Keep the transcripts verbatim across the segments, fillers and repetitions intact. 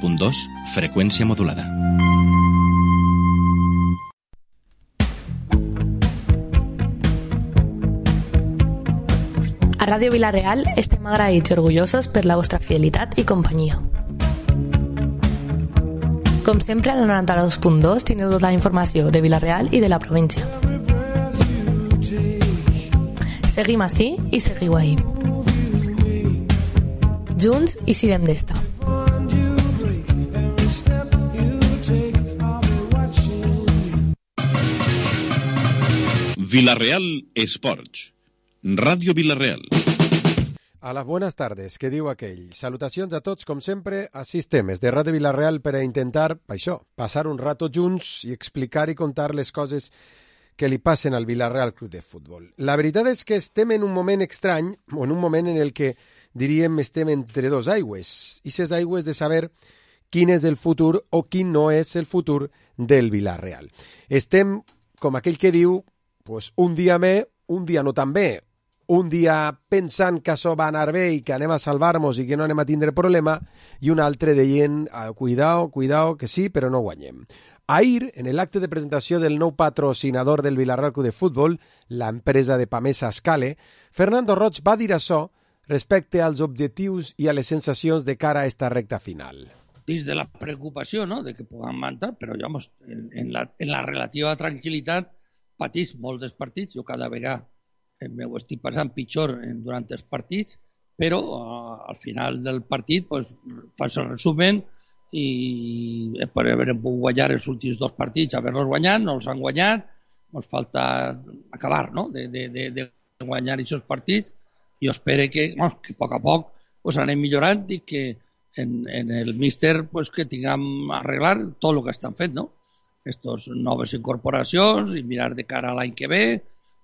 punt dos, freqüència modulada. A Ràdio Vila-real estem agraïts i orgullosos per la vostra fidelitat i companyia. Com sempre, al noranta-dos punt dos tindreu tota la informació de Vila-real i de la província. Seguim ací i seguiu ahí. Junts i sirem d'esta. Vila-real Esports. Ràdio Vila-real. Hola, buenas tardes, què diu aquell? Salutacions a tots, com sempre, a Sistemes de Ràdio Vila-real per a intentar, això, passar un rato junts i explicar i contar les coses que li passen al Vila-real Club de Futbol. La veritat és que estem en un moment estrany, o en un moment en el que, diríem, estem entre dos aigües, i ses aigües de saber quin és el futur o quin no és el futur del Vila-real. Estem, com aquell que diu, pues, un dia bé, un dia no tan bé, un dia pensant que això va anar bé i que anem a salvar-nos i que no anem a tindre problema, i un altre dient, ah, cuidao, cuidao, que sí, però no guanyem. Ahir, en l'acte de presentació del nou patrocinador del Vila-real Club de Futbol, l'empresa de Pamesa Escale, Fernando Roig va dir això respecte als objectius i a les sensacions de cara a esta recta final. Dins de la preocupació, no?, de que puguem mantar, però ja, en, en, la, en la relativa tranquil·litat patís molts dels partits. Jo cada vegada m'ho estic passant pitjor durant els partits, però uh, al final del partit pues, fas el resumen i per haver pogut guanyar els últims dos partits, haver-los guanyat, no els han guanyat, ens falta acabar, no?, de, de, de, de guanyar aquests partits. Jo espero que, bueno, que a poc a poc pues, anem millorant i que en, en el míster pues, que tinguem arreglar tot el que estan fent, no? Estos noves incorporacions i mirar de cara a l'any que ve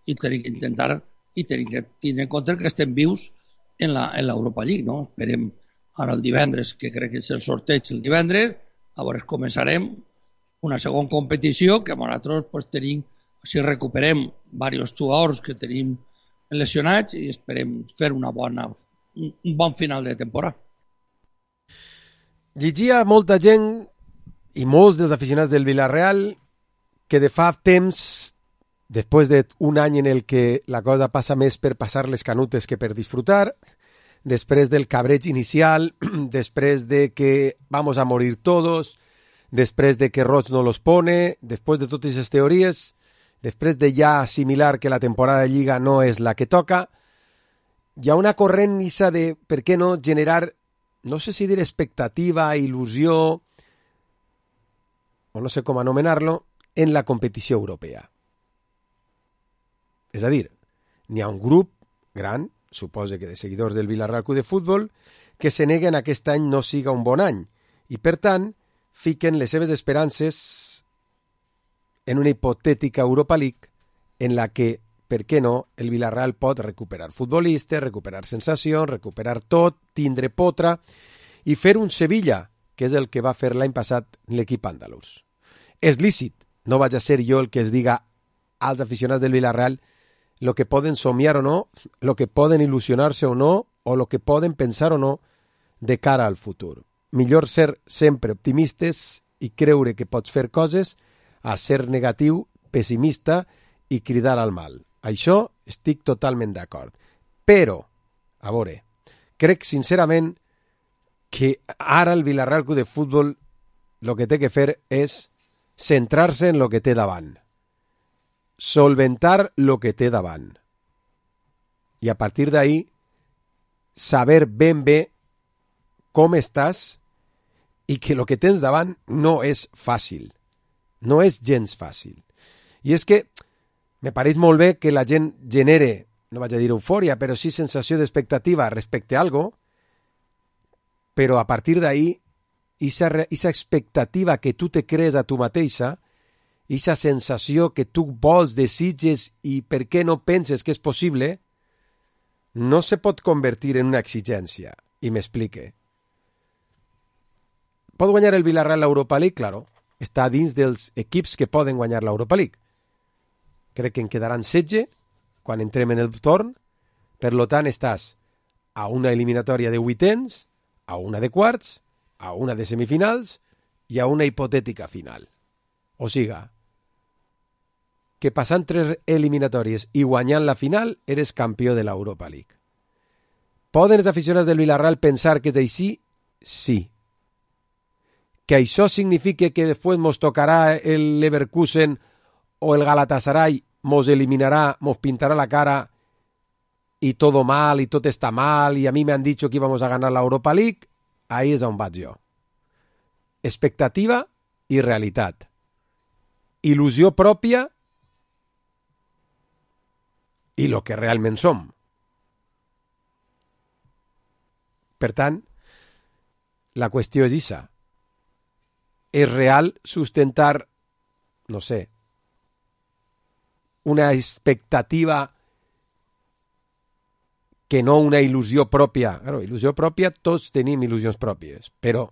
i tenim que intentar i tenim que tenir en compte que estem vius en l'Europa League, no? Esperem ara el divendres, que crec que és el sorteig el divendres, llavors començarem una segona competició que nosaltres pues, tenim, si recuperem diversos jugadors que tenim lesionats i esperem fer una bona, un bon final de temporada. Llegia molta gent i molts dels aficionats del Vila-real que de fa temps, després d'un any en el que la cosa passa més per passar les canutes que per disfrutar, després del cabreig inicial, després de que vamos a morir todos, després de que Roig no los pone, després de totes aquestes teories, després de ja assimilar que la temporada de Lliga no és la que toca, hi ha una corrent nissa de, per què no, generar, no sé si dir expectativa, il·lusió, o no sé com anomenar-lo, en la competició europea. És a dir, n'hi ha un grup gran, suposo que de seguidors del Vila-real Club de Futbol, que se neguen a que aquest any no siga un bon any i, per tant, fiquen les seves esperances en una hipotètica Europa League en la que, per què no, el Vila-real pot recuperar futbolistes, recuperar sensacions, recuperar tot, tindre potra i fer un Sevilla, que és el que va fer l'any passat l'equip andalús. És lícit, no vaig a ser jo el que es diga als aficionats del Vila-real lo que poden somiar o no, lo que poden il·lusionar-se o no, o lo que poden pensar o no de cara al futur. Millor ser sempre optimistes i creure que pots fer coses a ser negatiu, pessimista i cridar al mal. Això estic totalment d'acord. Però, a veure, crec sincerament que ara el Vila-real Club de Futbol el que té que fer és centrar-se en el que té davant. Solventar el que té davant. I a partir d'ahí, saber ben bé com estàs i que el que tens davant no és fàcil. No és gens fàcil. I és que me pareix molt bé que la gent genere, no vaig a dir eufòria, però sí sensació d'expectativa respecte a algo, però a partir d'ahí, aquesta expectativa que tu te crees a tu mateixa, aquesta sensació que tu vols, desitges i per què no penses que és possible, no se pot convertir en una exigència. I m'explique. Pot guanyar el Vila-real l'Europa League? Claro. Està dins dels equips que poden guanyar l'Europa League. Crec que en quedaran setze quan entrem en el torn. Per lo tant, estàs a una eliminatòria de vuitens, a una de quarts a una de semifinals i a una hipotètica final. O siga, que passant tres eliminatòries i guanyant la final eres campió de l'Europa League. Poden els aficionats del Villarreal pensar que és així? Sí. Que això significa que després mos tocarà el Leverkusen o el Galatasaray, mos eliminarà, mos pintarà la cara y todo mal y todo está mal y a mí me han dicho que íbamos a ganar la Europa League, ahí és on vaig jo. Expectativa i realitat. Il·lusió pròpia i lo que realment som. Per tant, la qüestió és issa. És real sustentar, no sé, una expectativa que no una il·lusió pròpia. Claro, il·lusió pròpia, tots tenim il·lusions pròpies, però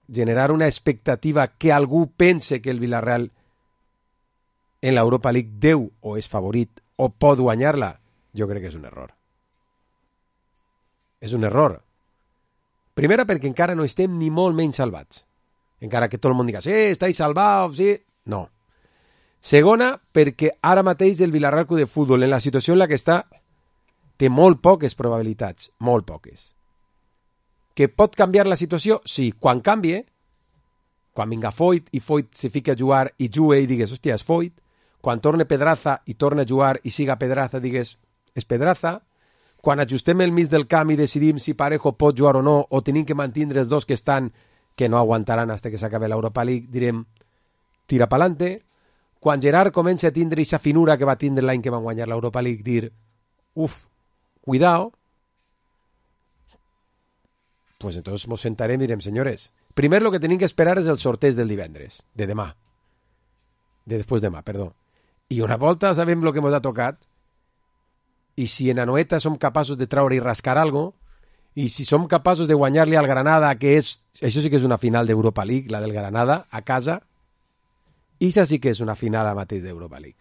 generar una expectativa que algú pense que el Villarreal en l'Europa League deu o és favorit o pot guanyar-la, jo crec que és un error. És un error. Primera, perquè encara no estem ni molt menys salvats. Encara que tot el món diga, sí, estáis salvados, sí. No. Segona, perquè ara mateix el Villarreal Club de Futbol, en la situació en la que està, té molt poques probabilitats, molt poques. Que pot canviar la situació? Sí, quan canvie, quan vinga Foyt i Foyt se fica a jugar i jugue i digues, hòstia, és Foyt. Quan torne Pedraza i torna a jugar i siga Pedraza, digues, és Pedraza. Quan ajustem el mig del camp i decidim si Parejo pot jugar o no, o tenim que mantenir els dos que estan, que no aguantaran fins que s'acabi l'Europa League, direm, tira pa'lante. Quan Gerard comença a tindre aquesta finura que va tindre l'any que van guanyar l'Europa League, dir, uf, cuidao, pues entonces nos sentarem i direm, senyores, primer lo que tenim que esperar és el sorteig del divendres, de demà, de després demà, perdó. I una volta sabem lo que ens ha tocat, i si en Anoeta som capaços de traure i rascar algo, i si som capaços de guanyar-li al Granada, que és, això sí que és una final d'Europa League, la del Granada, a casa, i això sí que és una final a mateix d'Europa League.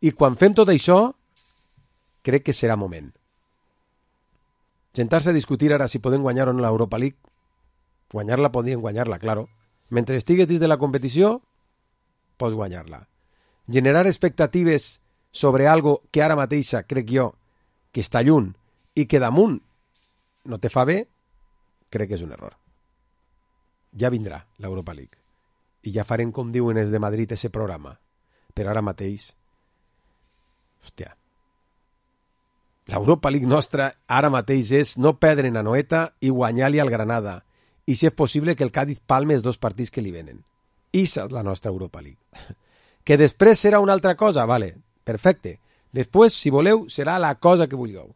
I quan fem tot això, crec que serà moment. Sentar-se a discutir ara si podem guanyar o no l'Europa League, guanyar-la podien guanyar-la, claro. Mentre estigues dins de la competició, pots guanyar-la. Generar expectatives sobre algo que ara mateixa, crec jo, que està lluny i que damunt no te fa bé, crec que és un error. Ja vindrà l'Europa League. I ja farem, com diuen els de Madrid, ese programa. Però ara mateix, hòstia, l'Europa League nostra ara mateix és no perdre en Anoeta i guanyar-li al Granada. I si és possible que el Cádiz palme els dos partits que li venen. Issa és la nostra Europa League. Que després serà una altra cosa, vale, perfecte. Després, si voleu, serà la cosa que vulgueu.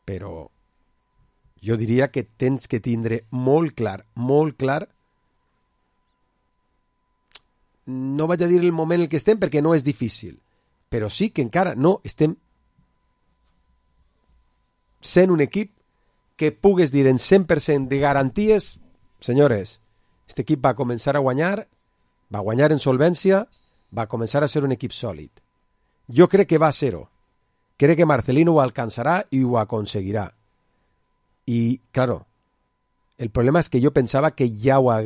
Però jo diria que tens que tindre molt clar, molt clar, no vaig a dir el moment en què estem perquè no és difícil, però sí que encara no estem sent un equip que pugues dir en cent per cent de garanties, senyores, aquest equip va començar a guanyar, va guanyar en solvència, va començar a ser un equip sòlid. Jo crec que va a ser-ho. Crec que Marcelino ho alcançarà i ho aconseguirà. I, claro, el problema és que jo pensava que ja ho ha...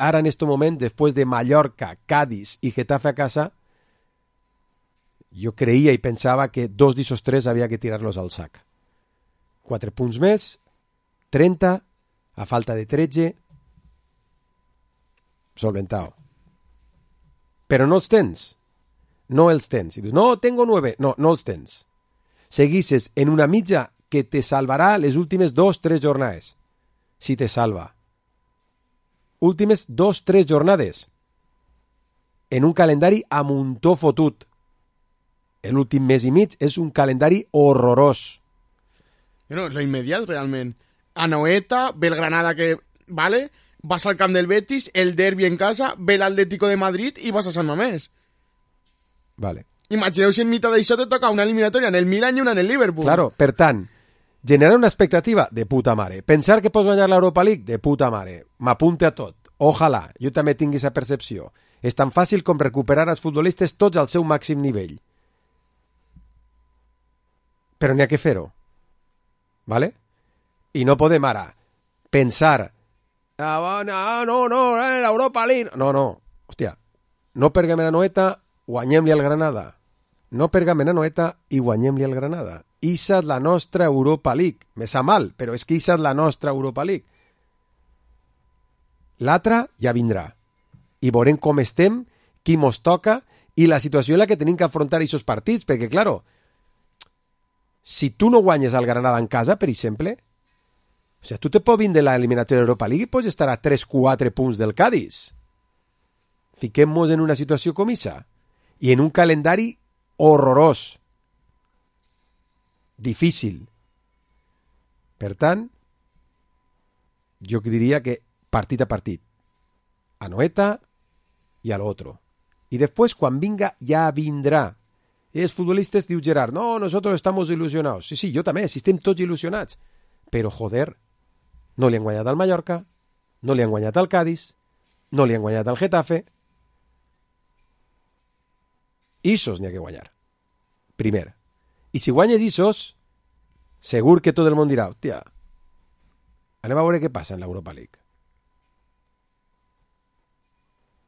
ara en este moment, després de Mallorca, Cádiz i Getafe a casa, jo creia i pensava que dos d'esos tres havia que tirar-los al sac. Quatre punts més, trenta, a falta de tretze, solventao. Però no els tens. No els tens. I dius, no, tengo nueve. No, no els tens. Seguisses en una mitja que te salvarà les últimes dos, tres jornades. Si te salva. Últimes dos, tres jornades. En un calendari a muntó fotut. L'últim mes i mig és un calendari horrorós. No, lo inmediat, realment. Anoeta, ve el Granada que... Vale, vas al camp del Betis, el derbi en casa, ve l'Atlético de Madrid i vas a Sant Mamés. Vale. Imagineu si en mitad d'això te toca una eliminatòria en el Milan i una en el Liverpool. Claro, per tant, generar una expectativa de puta mare. Pensar que pots guanyar l'Europa League de puta mare. M'apunte a tot. Ojalà, jo també tingui aquesta percepció. És tan fàcil com recuperar els futbolistes tots al seu màxim nivell. Però n'hi ha que fer-ho. Vale? I no podem ara pensar ah, no, no, no, eh, l'Europa League. No, no, hòstia, no perguem a Anoeta, guanyem-li al Granada. No perguem a Anoeta i guanyem-li al Granada. Issa és la nostra Europa League. Me sa mal, però és que issa és la nostra Europa League. L'altra ja vindrà. I veurem com estem, qui mos toca i la situació en la que tenim que afrontar aquests partits, perquè, claro, si tu no guanyes al Granada en casa, per exemple, o sigui, tu te pots vindre de l'eliminatòria d'Europa League i pots estar a tres quatre punts del Cádiz. Fiquem-nos en una situació com issa i en un calendari horrorós, difícil. Per tant, jo diria que partit a partit, a Noeta i a l'altre. I després, quan vinga, ja vindrà. I els futbolistes, diu Gerard, no, nosotros estamos ilusionados. Sí, sí, jo també, si estem tots il·lusionats. Però, joder, no li han guanyat al Mallorca, no li han guanyat al Cádiz, no li han guanyat al Getafe. Isos n'hi ha que guanyar. Primer. I si guanyes Isos, segur que tot el món dirà, hòstia, anem a veure què passa en l'Europa League.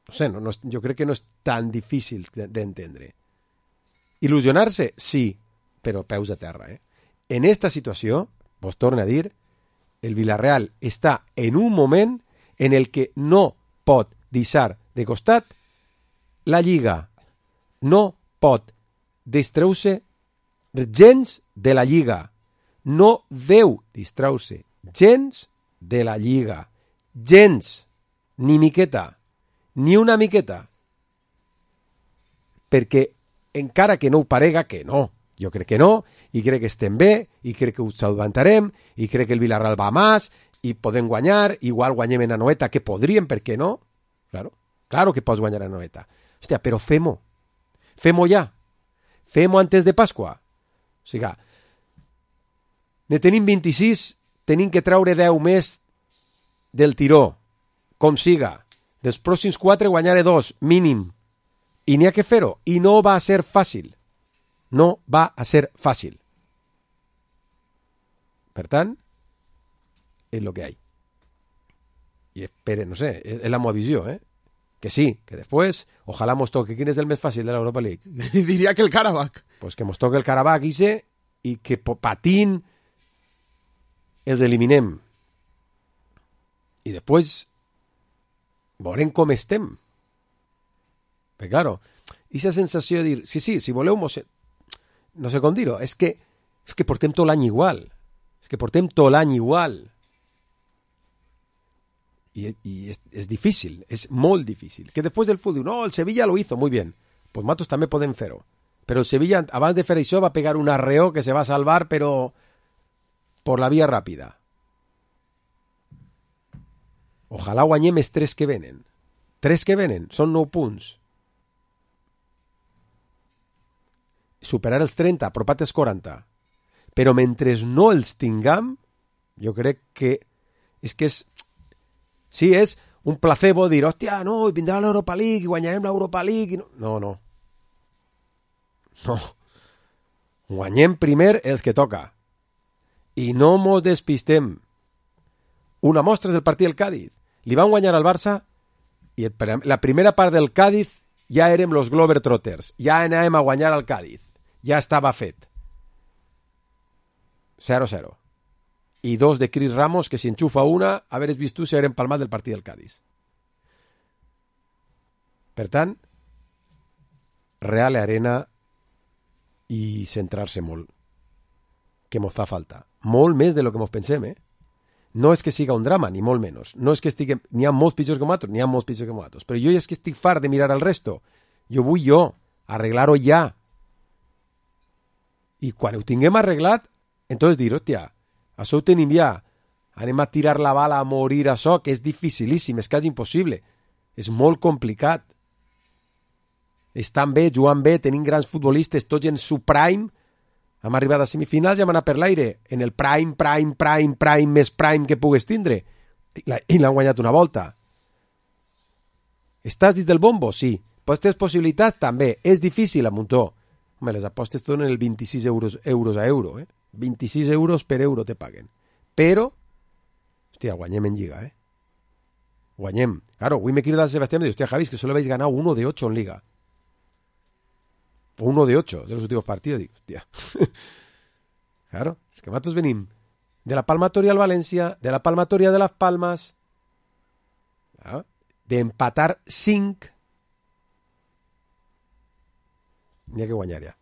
No sé, no, no, jo crec que no és tan difícil d'entendre. Il·lusionar-se? Sí, però peus a terra. Eh? En esta situació, vos torno a dir, el Villarreal està en un moment en el que no pot deixar de costat la Lliga. No pot distreure gens de la Lliga. No deu distreure gens de la Lliga. Gens. Ni miqueta. Ni una miqueta. Perquè encara que no ho parega, que no. Jo crec que no, i crec que estem bé, i crec que ho salvantarem, i crec que el Villarreal va més, i podem guanyar, igual guanyem en Anoeta, que podríem, per què no? Claro, claro que pots guanyar en Anoeta. Hòstia, però fem-ho. Fem-ho ja. Fem-ho antes de Pasqua. O sigui, ne tenim vint-i-sis, tenim que treure deu més del tiró, com siga. Dels pròxims quatre guanyaré dos, mínim. I n'hi ha que fer-ho. I no va ser fàcil. No va a ser fàcil. Per tant, és el que hi ha. I espere, no sé, és, és la meva visió, eh? Que sí, que després, ojalà mos toque. Quin és el més fàcil de l'Europa League? Diria que el Karabakh. Pues que mos toque el Karabakh ise i que patint els eliminem. I després veurem com estem. Perquè, claro, aquesta sensació de dir, sí, sí, si voleu mos... No sé com dir-ho, és que, és que portem tot l'any igual. És que portem tot l'any igual. I, i és, és difícil, és molt difícil. Que després del futbol, no, el Sevilla lo hizo, muy bien. Pues matos també podem fer-ho. Però el Sevilla, abans de fer això, va pegar un arreó que se va salvar, però por la via ràpida. Ojalà guanyem els tres que venen. Tres que venen, són nou punts. Superar els trenta, apropat els quaranta. Però mentre no els tinguem, jo crec que és que és... Sí, és un placebo dir, hòstia, no, vindrà l'Europa League i guanyarem l'Europa League. No, no, no. No. Guanyem primer els que toca. I no mos despistem. Una mostra és el partit del Cádiz. Li van guanyar al Barça i la primera part del Cádiz ja érem los Globetrotters. Ja anàvem a guanyar al Cádiz. Ja estava fet. cero cero. I dos de Cris Ramos, que si enxufa una, haver vist tu, s'haver empalmat del partit del Cádiz. Per tant, Real Arena i centrar-se molt. Que mos fa falta. Molt més de lo que mos pensem, eh? No és que siga un drama, ni molt menys. No és que estiguem... N'hi ha molts pitjors que nosaltres, n'hi ha molts pitjors que nosaltres. Però jo és que estic fart de mirar al resto. Jo vull jo, arreglar-ho ja. I quan ho tinguem arreglat, entonces dir, hòstia, això ho tenim ja. Anem a tirar la bala a morir això, que és dificilíssim, és quasi impossible. És molt complicat. Estan bé, jugant bé, tenim grans futbolistes, tots en su prime. Hem arribat a semifinals i hem anat per l'aire. En el prime, prime, prime, prime, més prime que pugues tindre. I l'han guanyat una volta. Estàs dins del bombo? Sí. Pots tenir possibilitats? També. És difícil a muntó. Home, les apostes donen el vint-i-sis euros, euros a euro. Eh? vint-i-sis euros per euro te paguen. però, hòstia, guanyem en Lliga, eh? Guanyem. Claro, avui me crida el Sebastián y me dice, hostia, Javi, es que solo habéis ganado uno de ocho en Liga. O uno de ocho de los últimos partidos. Digo, hostia. Claro, es que matos venim de la Palmatoria al Valencia, de la Palmatoria de Las Palmas, ¿no? De empatar cinc. N'hi ha que guanyar ja.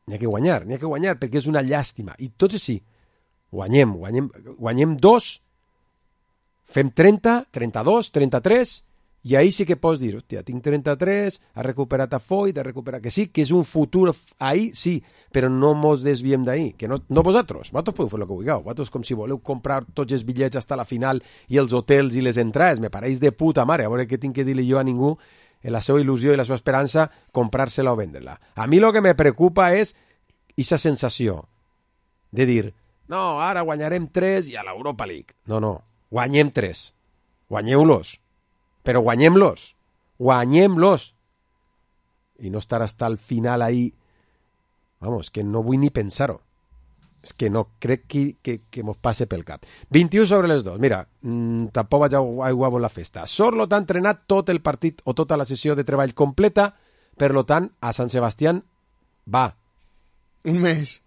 N'hi ha que guanyar, n'hi ha que guanyar, perquè és una llàstima. I tots sí, guanyem, guanyem, guanyem dos, fem trenta, trenta-dos, trenta-tres, i ahí sí que pots dir, hòstia, tinc trenta-tres, ha recuperat a Foyt, ha recuperat... Que sí, que és un futur ahí, sí, però no mos desviem d'ahí. Que no, no vosaltres, vosaltres podeu fer el que vulgueu. Vosaltres com si voleu comprar tots els bitllets fins a la final i els hotels i les entrades. Me pareix de puta mare. A veure què tinc que dir-li jo a ningú en la seva il·lusió i la seva esperança, comprar-se-la o vendre-la. A mi el que me preocupa és aquesta sensació de dir, no, ara guanyarem tres i a l'Europa League. No, no, guanyem tres. Guanyeu-los. Però guanyem-los. Guanyem-los. I no estar hasta el final ahí. Vamos, que no vull ni pensar-ho. És que no crec que, que, que mos passe pel cap. vint-i-u sobre les dos. Mira, mmm, tampoc vaig a aiguar la festa. Sorlot ha entrenat tot el partit o tota la sessió de treball completa, per lo tant, a Sant Sebastián va. Un mes.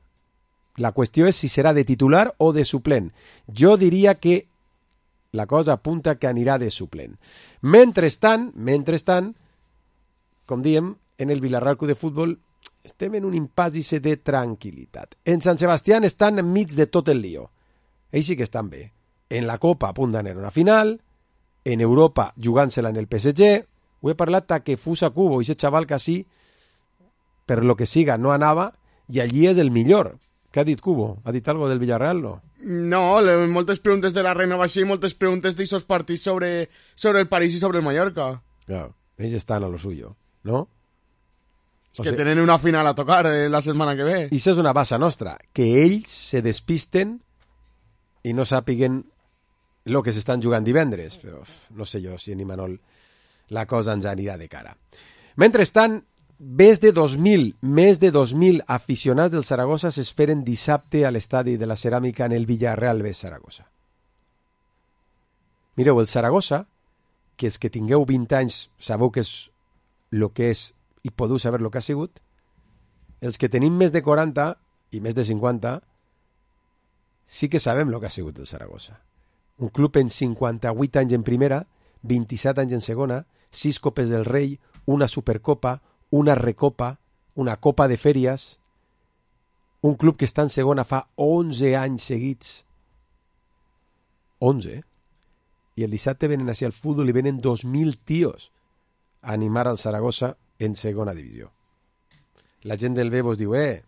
La qüestió és si serà de titular o de suplent. Jo diria que la cosa apunta que anirà de suplent. Mentrestant, mentrestant, com diem, en el Villarreal Club de Futbol estem en un impàs de tranquil·litat. En Sant Sebastián estan enmig de tot el lío. Ells sí que estan bé. En la Copa a punt d'anar a una final, en Europa jugant-se-la en el P S G. Ho he parlat a que Fusa Cubo, aquest xaval que sí, per lo que siga, no anava, i allí és el millor. Què ha dit Cubo? Ha dit algo del Villarreal, no? No, le, moltes preguntes de la renovació i moltes preguntes d'aixòs partits sobre, sobre el París i sobre el Mallorca. Claro, ells estan a lo suyo, ¿no? És o que sea, tenen una final a tocar eh, la setmana que ve. I això és una base nostra, que ells se despisten i no sàpiguen el que s'estan jugant divendres, però no sé jo si en Imanol la cosa ens anirà de cara. Mentrestant, més de dos mil, més de dos mil aficionats del Saragossa s'esperen dissabte a l'estadi de la Ceràmica en el Villarreal B Saragossa. Mireu, el Saragossa, que és que tingueu vint anys, sabeu que és el que és i podeu saber el que ha sigut. Els que tenim més de quaranta i més de cinquanta sí que sabem el que ha sigut el Saragossa. Un club en cinquanta-vuit anys en primera, vint-i-set anys en segona, sis copes del rei, una supercopa, una recopa, una copa de fèries, un club que està en segona fa onze anys seguits. onze, eh? I el dissabte venen així al futbol i venen dos mil tios a animar al Saragossa en segona divisió. La gent del B vos diu, eh...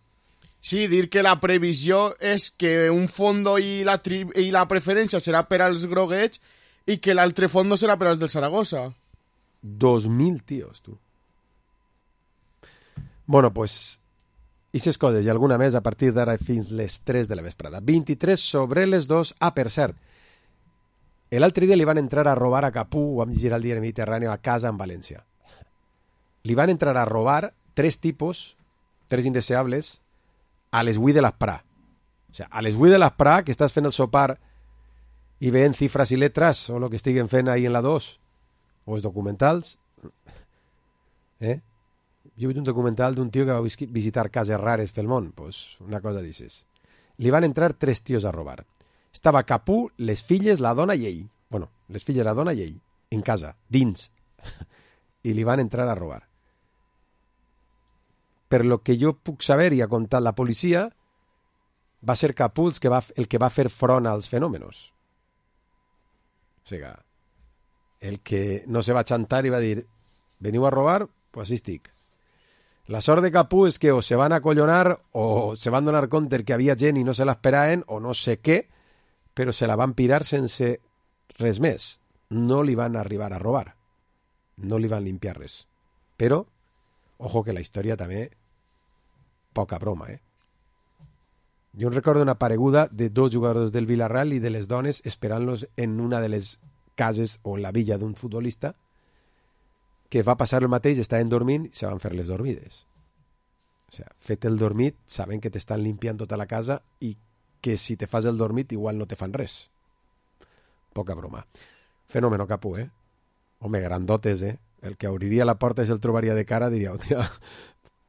Sí, dir que la previsió és que un fondo i la, tri... i la preferència serà per als groguets i que l'altre fondo serà per als del Saragossa. Dos mil tios, tu. Bueno, pues, ixes coses i alguna més a partir d'ara fins les tres de la vesprada. vint-i-tres sobre les dos. Ah, per cert, l'altre dia li van entrar a robar a Capú, ho vam llegir al diari Mediterrani, a casa en València. Li van entrar a robar tres tipos, tres indeseables, a les vuit de l'Esprà. O sea, a les vuit de l'Esprà, que estàs fent el sopar i veient cifres i letres, o el que estiguen fent ahí en la dos, o els documentals. Eh? Jo he vist un documental d'un tio que va visitar cases rares pel món. Pues una cosa dices. Li van entrar tres tios a robar. Estava Capú, les filles, la dona i ell. Bueno, les filles, la dona i ell. En casa, dins. I li van entrar a robar. Per lo que jo puc saber i ha contat la policia, va ser Capú el que va, el que va fer front als fenòmenos. O sigui, el que no se va xantar i va dir veniu a robar, pues així estic. La sort de Capú és que o se van acollonar o se van donar compte que havia gent i no se l'esperaven o no sé què, però se la van pirar sense res més. No li van arribar a robar. No li van limpiar res. Però, ojo que la història també poca broma, eh? Jo em recordo una pareguda de dos jugadors del Villarreal i de les dones esperant-los en una de les cases o en la villa d'un futbolista que va passar el mateix, estaven dormint i se van fer les dormides. O sigui, fet el dormit, saben que t'estan limpiant tota la casa i que si te fas el dormit igual no te fan res. Poca broma. Fenómeno, Capu, eh? Home, grandotes, eh? El que obriria la porta i se'l trobaria de cara diria, hòstia,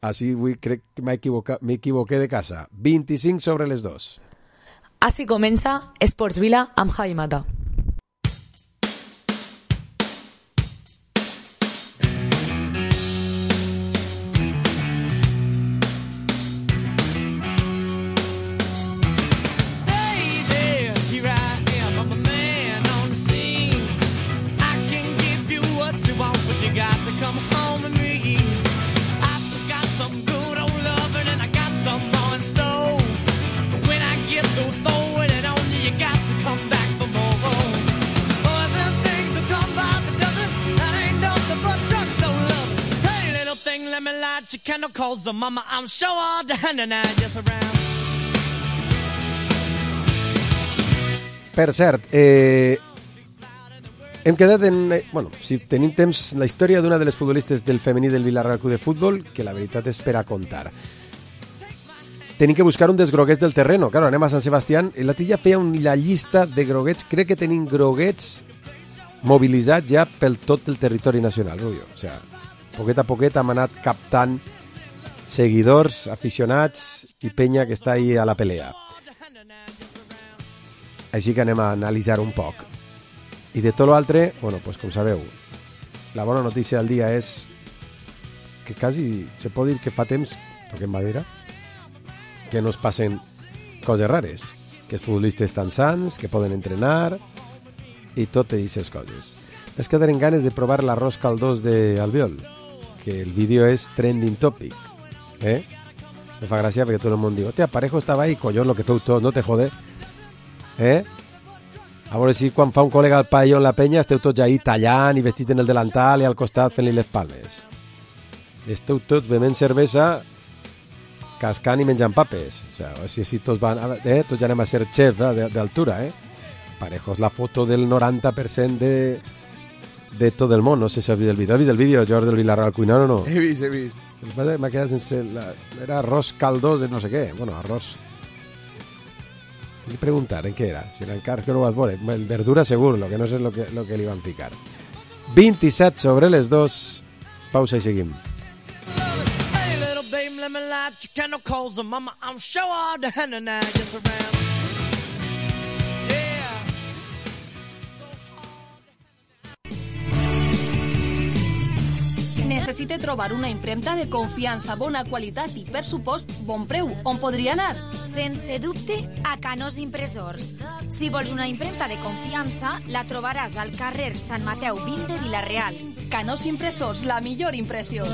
així avui crec que m'he equivocat, m'equivoqué de casa. vint-i-cinc sobre les dos. Així comença Esports Vila amb Javi Mata. Per cert, eh, hem quedat en... Eh, bueno, si tenim temps, la història d'una de les futbolistes del femení del Villarreal Club de Futbol, que la veritat és per a contar. Tenim que buscar un dels groguets del terreno. Claro, anem a Sant Sebastián. La Tilla feia una llista de groguets. Crec que tenim groguets mobilitzats ja pel tot el territori nacional, Rubio. O sea, poquet a poquet hem anat captant seguidors, aficionats i penya que està ahí a la pelea. Així que anem a analitzar un poc. I de tot l'altre, bueno, pues com sabeu, la bona notícia del dia és que quasi se pot dir que fa temps, toquem madera, que no es passen coses rares, que els futbolistes estan sants, que poden entrenar i totes aquestes coses. Es quedaren ganes de provar l'arròs caldós d'Albiol, que el vídeo és trending topic. ¿Eh? Me fa gràcia perquè tot el món diu, hòstia, Parejo estava ahí, collón, lo que feu tots, no te jode. Eh? A veure si quan fa un col·lega al paelló en la penya esteu tots ahí tallant i vestits en el delantal i al costat fent-li les palmes. Esteu tots bevent cervesa, cascant i menjant papes. O sea, si, si tots, van, eh? tots ja anem a ser xef eh? d'altura. Eh? Parejo és la foto del noranta per cent de, de tot el món. No sé si has vist el vídeo. Has vist el vídeo, George, del Villarreal cuinant o no? He vist, he vist. El que passa és que m'ha quedat sense... La... Era arròs caldós de no sé què. Bueno, arròs... Li preguntar en què era. Si era encara que no ho vas veure. El verdura segur, lo que no sé lo que, lo que li van picar. vint-i-set sobre les dos. Pausa i seguim. Necessite trobar una impremta de confiança, bona qualitat i, per supost, bon preu. On podria anar? Sense dubte, a Canós Impressors. Si vols una impremta de confiança, la trobaràs al carrer Sant Mateu vint de Vila-real. Canós Impressors, la millor impressió.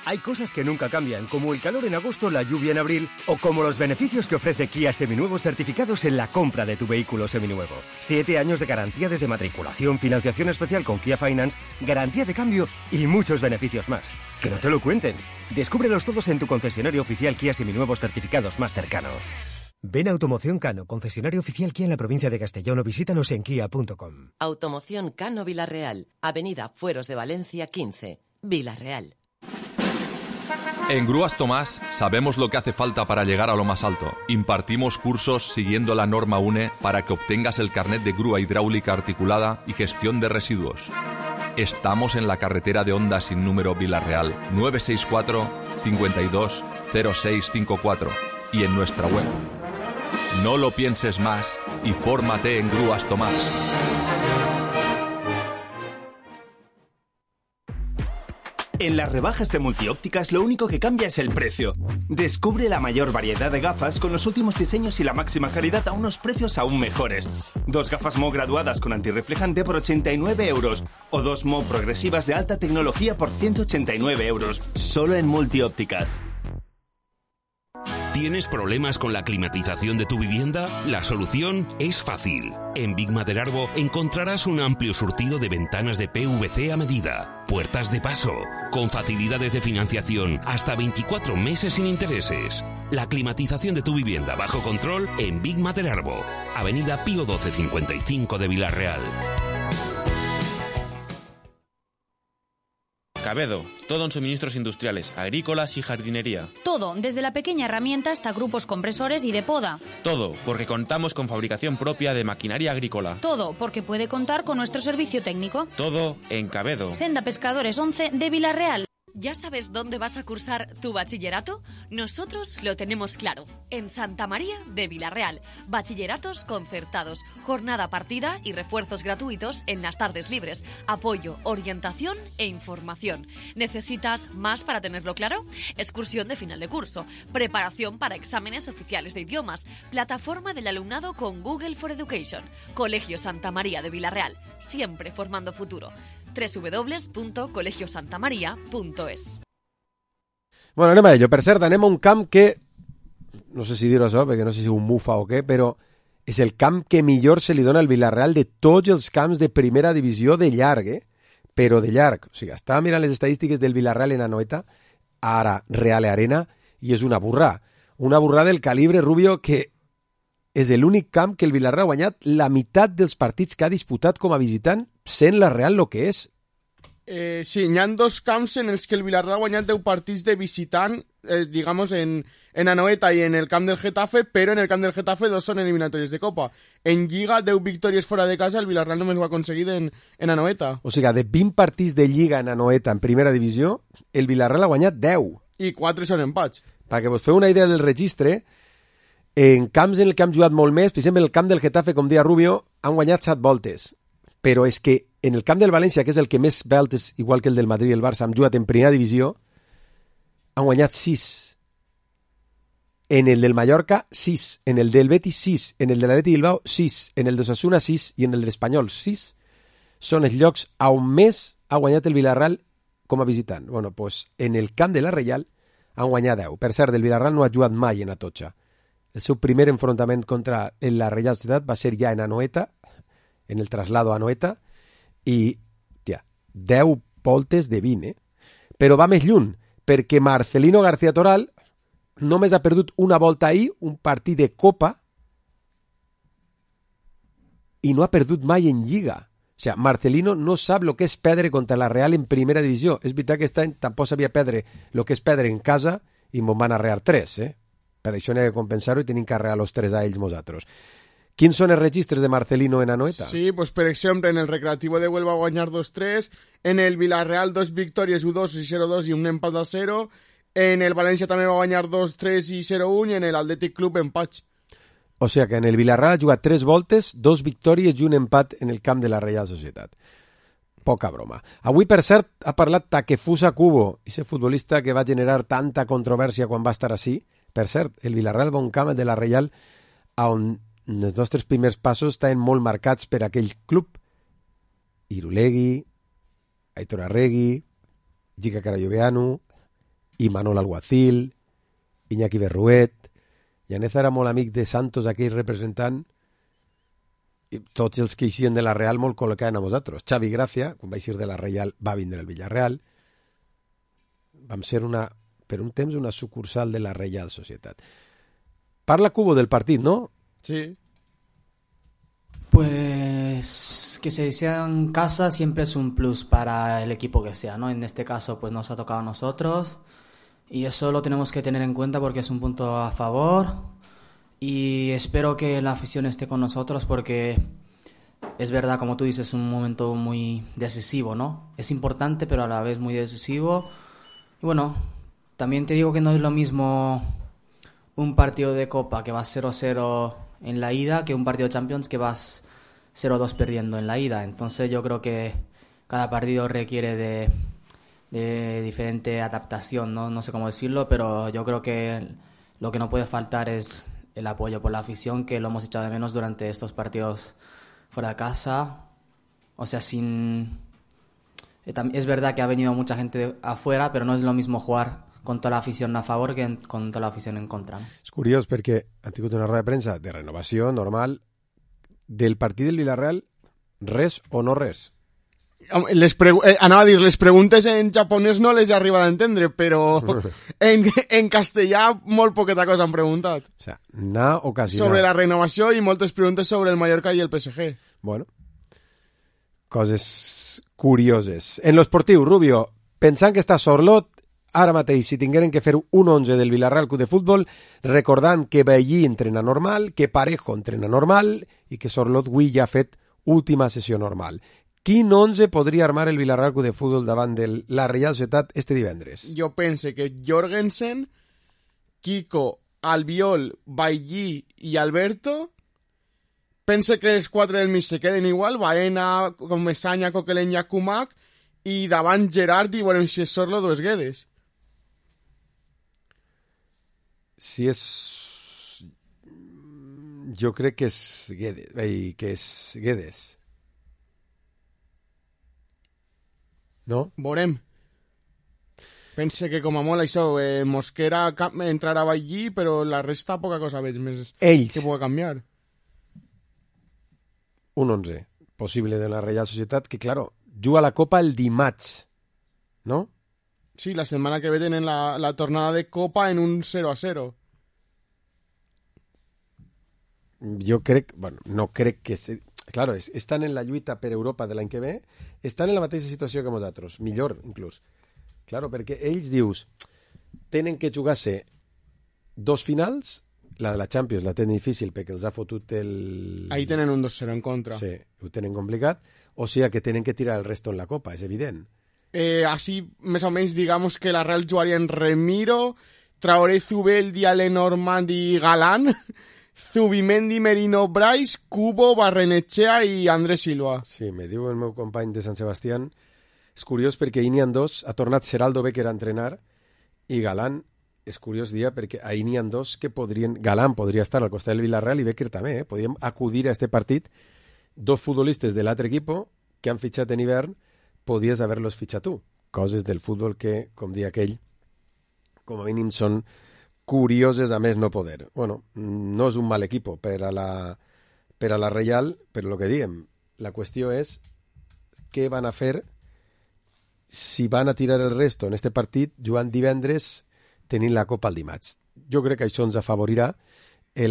Hay cosas que nunca cambian, como el calor en agosto, la lluvia en abril, o como los beneficios que ofrece Kia Seminuevos certificados en la compra de tu vehículo seminuevo. Siete años de garantía desde matriculación, financiación especial con Kia Finance, garantía de cambio y muchos beneficios más. Que no te lo cuenten. Descúbrelos todos en tu concesionario oficial Kia Seminuevos certificados más cercano. Ven a Automoción Cano, concesionario oficial Kia en la provincia de Castellón, o visítanos en kia punto com. Automoción Cano Vila-real, Avenida Fueros de Valencia quince, Vila-real. En Grúas Tomás sabemos lo que hace falta para llegar a lo más alto. Impartimos cursos siguiendo la norma U N E para que obtengas el carnet de grúa hidráulica articulada y gestión de residuos. Estamos en la carretera de Honda sin número Vila-real, nueve seis cuatro, cinco dos, cero seis cinco cuatro, y en nuestra web. No lo pienses más y fórmate en Grúas Tomás. En las rebajas de Multiópticas lo único que cambia es el precio. Descubre la mayor variedad de gafas con los últimos diseños y la máxima calidad a unos precios aún mejores. Dos gafas M O graduadas con antirreflejante por ochenta y nueve euros o dos M O progresivas de alta tecnología por ciento ochenta y nueve euros. Solo en Multiópticas. ¿Tienes problemas con la climatización de tu vivienda? La solución es fácil. En Big Maderarbo encontrarás un amplio surtido de ventanas de P V C a medida, puertas de paso, con facilidades de financiación hasta veinticuatro meses sin intereses. La climatización de tu vivienda bajo control en Big Maderarbo, Avenida Pío doce cincuenta y cinco de Vila-real. Cabedo, todo en suministros industriales, agrícolas y jardinería. Todo, desde la pequeña herramienta hasta grupos compresores y de poda. Todo, porque contamos con fabricación propia de maquinaria agrícola. Todo, porque puede contar con nuestro servicio técnico. Todo en Cabedo. Senda Pescadores once de Villarreal. ¿Ya sabes dónde vas a cursar tu bachillerato? Nosotros lo tenemos claro. En Santa María de Villarreal. Bachilleratos concertados, jornada partida y refuerzos gratuitos en las tardes libres. Apoyo, orientación e información. ¿Necesitas más para tenerlo claro? Excursión de final de curso. Preparación para exámenes oficiales de idiomas. Plataforma del alumnado con Google for Education. Colegio Santa María de Villarreal. Siempre formando futuro. doble u doble u doble u punto colegio santa maria punto es. Bueno, anem a ello. Per cert, anem a un camp que, no sé si dir-ho això, perquè no sé si un mufa o què, però és el camp que millor se li dona al Villarreal de tots els camps de primera divisió de llarg, eh? Però de llarg. O sigui, estava mirant les estadístiques del Villarreal en Anoeta, ara Real Arena, i és una burrà. Una burrà del calibre, Rubio, que és l'únic camp que el Villarreal ha guanyat la meitat dels partits que ha disputat com a visitant, sent la Real el que és. Eh, sí, hi ha dos camps en els que el Villarreal ha guanyat deu partits de visitant, eh, digamos, en, en Anoeta i en el camp del Getafe, però en el camp del Getafe dos són eliminatòries de Copa. En Lliga, deu victòries fora de casa, el Villarreal només ho ha aconseguit en, en Anoeta. O sigui, de vint partits de Lliga en Anoeta en primera divisió, el Villarreal ha guanyat deu. I quatre són empats. Perquè vos feu una idea del registre, en camps en el que han jugat molt més, per exemple, el camp del Getafe, com deia Rubio, han guanyat set voltes. Però és que en el camp del València, que és el que més voltes, igual que el del Madrid i el Barça, han jugat en primera divisió, han guanyat sis. En el del Mallorca, sis. En el del Betis, sis. En el de l'Atleti Bilbao, sis. En el d'Osasuna, sis. I en el de l'Espanyol, sis. Són els llocs on més ha guanyat el Villarreal com a visitant. Bueno, doncs en el camp de la Reial han guanyat deu. Per cert, el Villarreal no ha jugat mai en Atocha. El seu primer enfrontament contra la Reial Societat va ser ja en Anoeta, en el traslado a Anoeta, i, tia, deu voltes de vint, eh? Però va més lluny, perquè Marcelino García Toral només ha perdut una volta ahir, un partit de Copa, i no ha perdut mai en Lliga. O sigui, Marcelino no sap el que és perdre contra la Real en primera divisió. És veritat que aquest any tampoc sabia perdre el que és perdre en casa, i me'n van arrear tres, eh? Per això n'hi ha que compensar-ho i tenim que arrear els tres a ells nosaltres. Quins són els registres de Marcelino en Anoeta? Sí, pues per exemple, en el Recreativo de Huelva guanyar dos tres, en el Villarreal dos victòries, u dos i zero dos i un empat a zero, en el València també va guanyar dos tres i zero un i en el Athletic Club empats. O sigui que en el Villarreal ha jugat tres voltes, dos victòries i un empat en el camp de la Reial Societat. Poca broma. Avui, per cert, ha parlat Takefusa Kubo, ese futbolista que va generar tanta controvèrsia quan va estar així. Per cert, el Villarreal va un camp de la Reial on els nostres primers passos estaven molt marcats per aquell club. Irulegui, Aitor Arregui, Gica Carayoveanu, Imanol Alguacil, Iñaki Berruet. Llaneza era molt amic de Santos, aquell representant, i tots els que eixien de la Real molt col·locaven a nosaltres. Xavi Gracia, quan va eixir de la Real, va vindre al Villarreal. Vam ser una, per un temps una sucursal de la Reial Societat. Parla Cubo del partit, ¿no? Sí. Pues que se sea en casa siempre es un plus para el equipo que sea, ¿no? En este caso pues nos ha tocado a nosotros y eso lo tenemos que tener en cuenta porque es un punto a favor y espero que la afición esté con nosotros porque es verdad, como tú dices, es un momento muy decisivo, ¿no? Es importante pero a la vez muy decisivo y bueno, también te digo que no es lo mismo un partido de Copa que va cero cero en la ida que un partido de Champions que vas cero dos perdiendo en la ida. Entonces yo creo que cada partido requiere de, de diferente adaptación, ¿no? No sé cómo decirlo, pero yo creo que lo que no puede faltar es el apoyo por la afición, que lo hemos echado de menos durante estos partidos fuera de casa. O sea, sin... Es verdad que ha venido mucha gente afuera, pero no es lo mismo jugar con toda la afición a favor que con toda la afición en contra. És curiós perquè ha tingut una roda de premsa de renovació normal del partit del Villarreal, res o no res. Les pregu- eh, anava a dir, les preguntes en japonès no les he arribat a entendre, però en, en castellà molt poqueta cosa han preguntat. O sea, na o quasi sobre na. la renovació i moltes preguntes sobre el Mallorca i el P S G. Bueno, coses curioses. En lo esportiu, Rubio, pensant que està Sorlot, ara mateix, si tingueren que fer un onze del Villarreal Club de Futbol, recordant que Bailly entrena normal, que Parejo entrena normal i que Sorlot avui ja ha fet última sessió normal. Quin onze podria armar el Villarreal Club de Futbol davant de la Reial Societat este divendres? Jo pense que Jorgensen, Kiko, Albiol, Bailly i Alberto, pense que els quatre del mig se queden igual, Baena, Comesaña, Coquelin i Akumak, i davant Gerard i veurem si és Sorlot o és Guedes. Si és... Jo crec que és Guedes. Ei, que és Guedes. No? Veurem. Pense que com a molt això, eh, Mosquera entrarà allí, però la resta poca cosa veig més Ells. que pugui canviar. Un onze possible de la Reial Societat, que, claro, juga la Copa el dimarts, no? Sí, la setmana que ve tenen la, la tornada de Copa en un cero a cero. Jo crec, bueno, no crec que... Se... Claro, es, estan en la lluita per Europa de l'any que ve, estan en la mateixa situació que nosaltres, millor inclús. Claro, perquè ells, dius, tenen que jugar-se dos finals, la de la Champions la tenen difícil perquè els ha fotut el... Ahí tenen un dos cero en contra. Sí, ho tenen complicat, o sigui que tenen que tirar el resto en la Copa, és evident. Eh, així, més o menys, digamos que la Real jugaria en Remiro, Traoré, Zubeldi, Lenormand i Galán... Zubimendi, Merino, Brais, Cubo, Barrenetxea i Andrés Silva. Sí, me diu el meu company de Sant Sebastián. És curiós perquè n'hi ha dos, ha tornat Seraldo Becker a entrenar i Galán, és curiós dia perquè ahir n'hi ha dos que podrien... Galán podria estar al costat del Villarreal i Becker també, eh? Podríem acudir a este partit. Dos futbolistes de l'altre equip que han fitxat en hivern, podies haver-los fitxat tu. Coses del futbol que, com dia aquell, com a mínim són curioses a més no poder. Bueno, no és un mal equipo per a la, per a la Reial, però el que diem, la qüestió és què van a fer si van a tirar el resto en este partit jugant divendres tenint la Copa al dimarts. Jo crec que això ens afavorirà.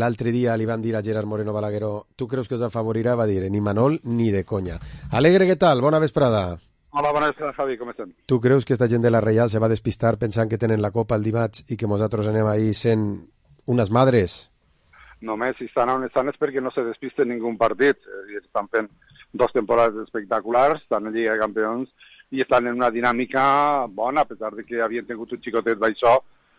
L'altre dia li van dir a Gerard Moreno Balagueró, tu creus que ens afavorirà? Va dir, ni Manol ni de conya. Alegre, què tal? Bona vesprada. Hola, bona vesprada, Javi, com estem? Tu creus que esta gent de la Reial se va despistar pensant que tenen la Copa el dimarts i que nosaltres anem ahí sent unes madres? Només si estan on estan és perquè no se despisten ningú partit. Estan fent dos temporades espectaculars, estan en Lliga de Campions i estan en una dinàmica bona, a pesar de que havien tingut un xicotet d'això.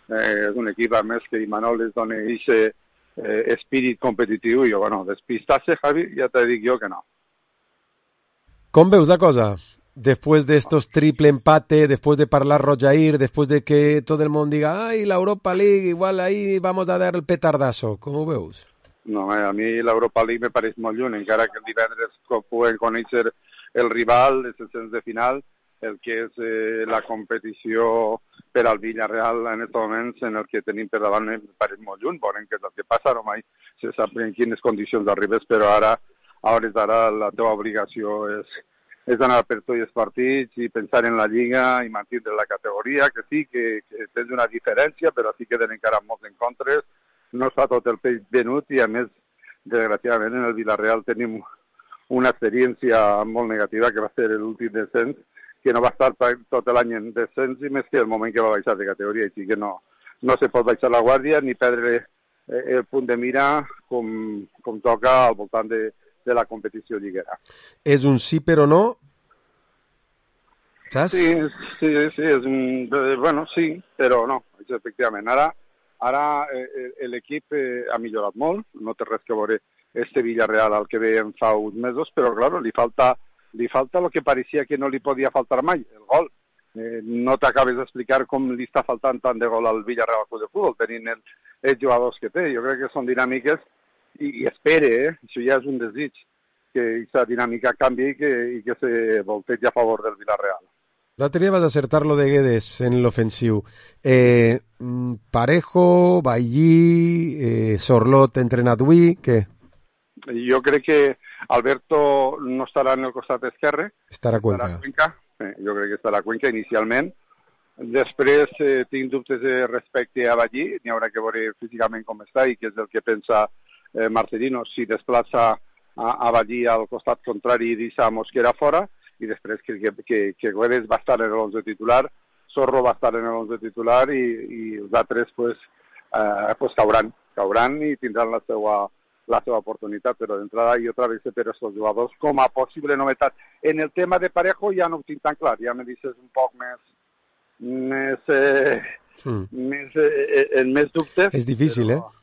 Eh, és un equip, a més, que Imanol es dona aquest eh, espírit competitiu i, bueno, despistar-se, Javi, ja te dic jo que no. Com veus la cosa? Después de estos triple empate, después de parlar Rojair, después de que todo el mundo diga, ay, la Europa League, igual ahí vamos a dar el petardazo. Com ho veus? No, a mi l'Europa League me pareix molt lluny, encara que el divendres puguem conèixer el rival, els ascens de final, el que és eh, la competició per al Villarreal en aquests moments en el que tenim per davant me pareix molt lluny. Veurem què és el que passa, no mai se sap en quines condicions arribes, però ara, a hores d'ara, la teva obligació és és anar per tots els partits i pensar en la Lliga i mantenir la categoria, que sí, que, que tens una diferència, però sí queden encara molts encontres, no es fa tot el peix venut i, a més, desgraciadament, en el Villarreal tenim una experiència molt negativa que va ser l'últim descens, que no va estar tot l'any en descens i més que el moment que va baixar de categoria, així que no, no se pot baixar la guàrdia ni perdre el punt de mira com, com toca al voltant de de la competició lliguera. És un sí però no? Saps? Sí, sí, sí, és un... Bueno, sí, però no, efectivament. Ara, ara eh, l'equip eh, ha millorat molt, no té res que veure este Villarreal al que veiem fa uns mesos, però, claro, li falta, li falta el que pareixia que no li podia faltar mai, el gol. Eh, no t'acabes d'explicar com li està faltant tant de gol al Villarreal Club de Futbol, tenint el, els jugadors que té. Jo crec que són dinàmiques i, i espere, eh? Això ja és un desig, que aquesta dinàmica canvi i que, i que se voltegi a favor del Villarreal. L'altre dia vas acertar lo de Guedes en l'ofensiu. Eh, Parejo, Bailly, eh, Sorlot entrenat avui, què? Jo crec que Alberto no estarà en el costat esquerre. Estarà a Cuenca. Estarà a Cuenca. Eh, jo crec que estarà a Cuenca inicialment. Després eh, tinc dubtes respecte a Bailly, n'hi haurà que veure físicament com està i què és el que pensa eh, Marcelino, si desplaça a, a Bailly al costat contrari i deixa Mosquera fora, i després que, que, que Guedes va estar en l'onze titular, Zorro va estar en el once titular i, i els altres pues, eh, pues cauran, cauran i tindran la seva, la seva oportunitat, però d'entrada jo travesse per aquests jugadors com a possible novetat. En el tema de Parejo ja no ho tinc tan clar, ja me dices un poc més, més, eh, mm. més, eh, en més dubtes. És difícil, però... eh?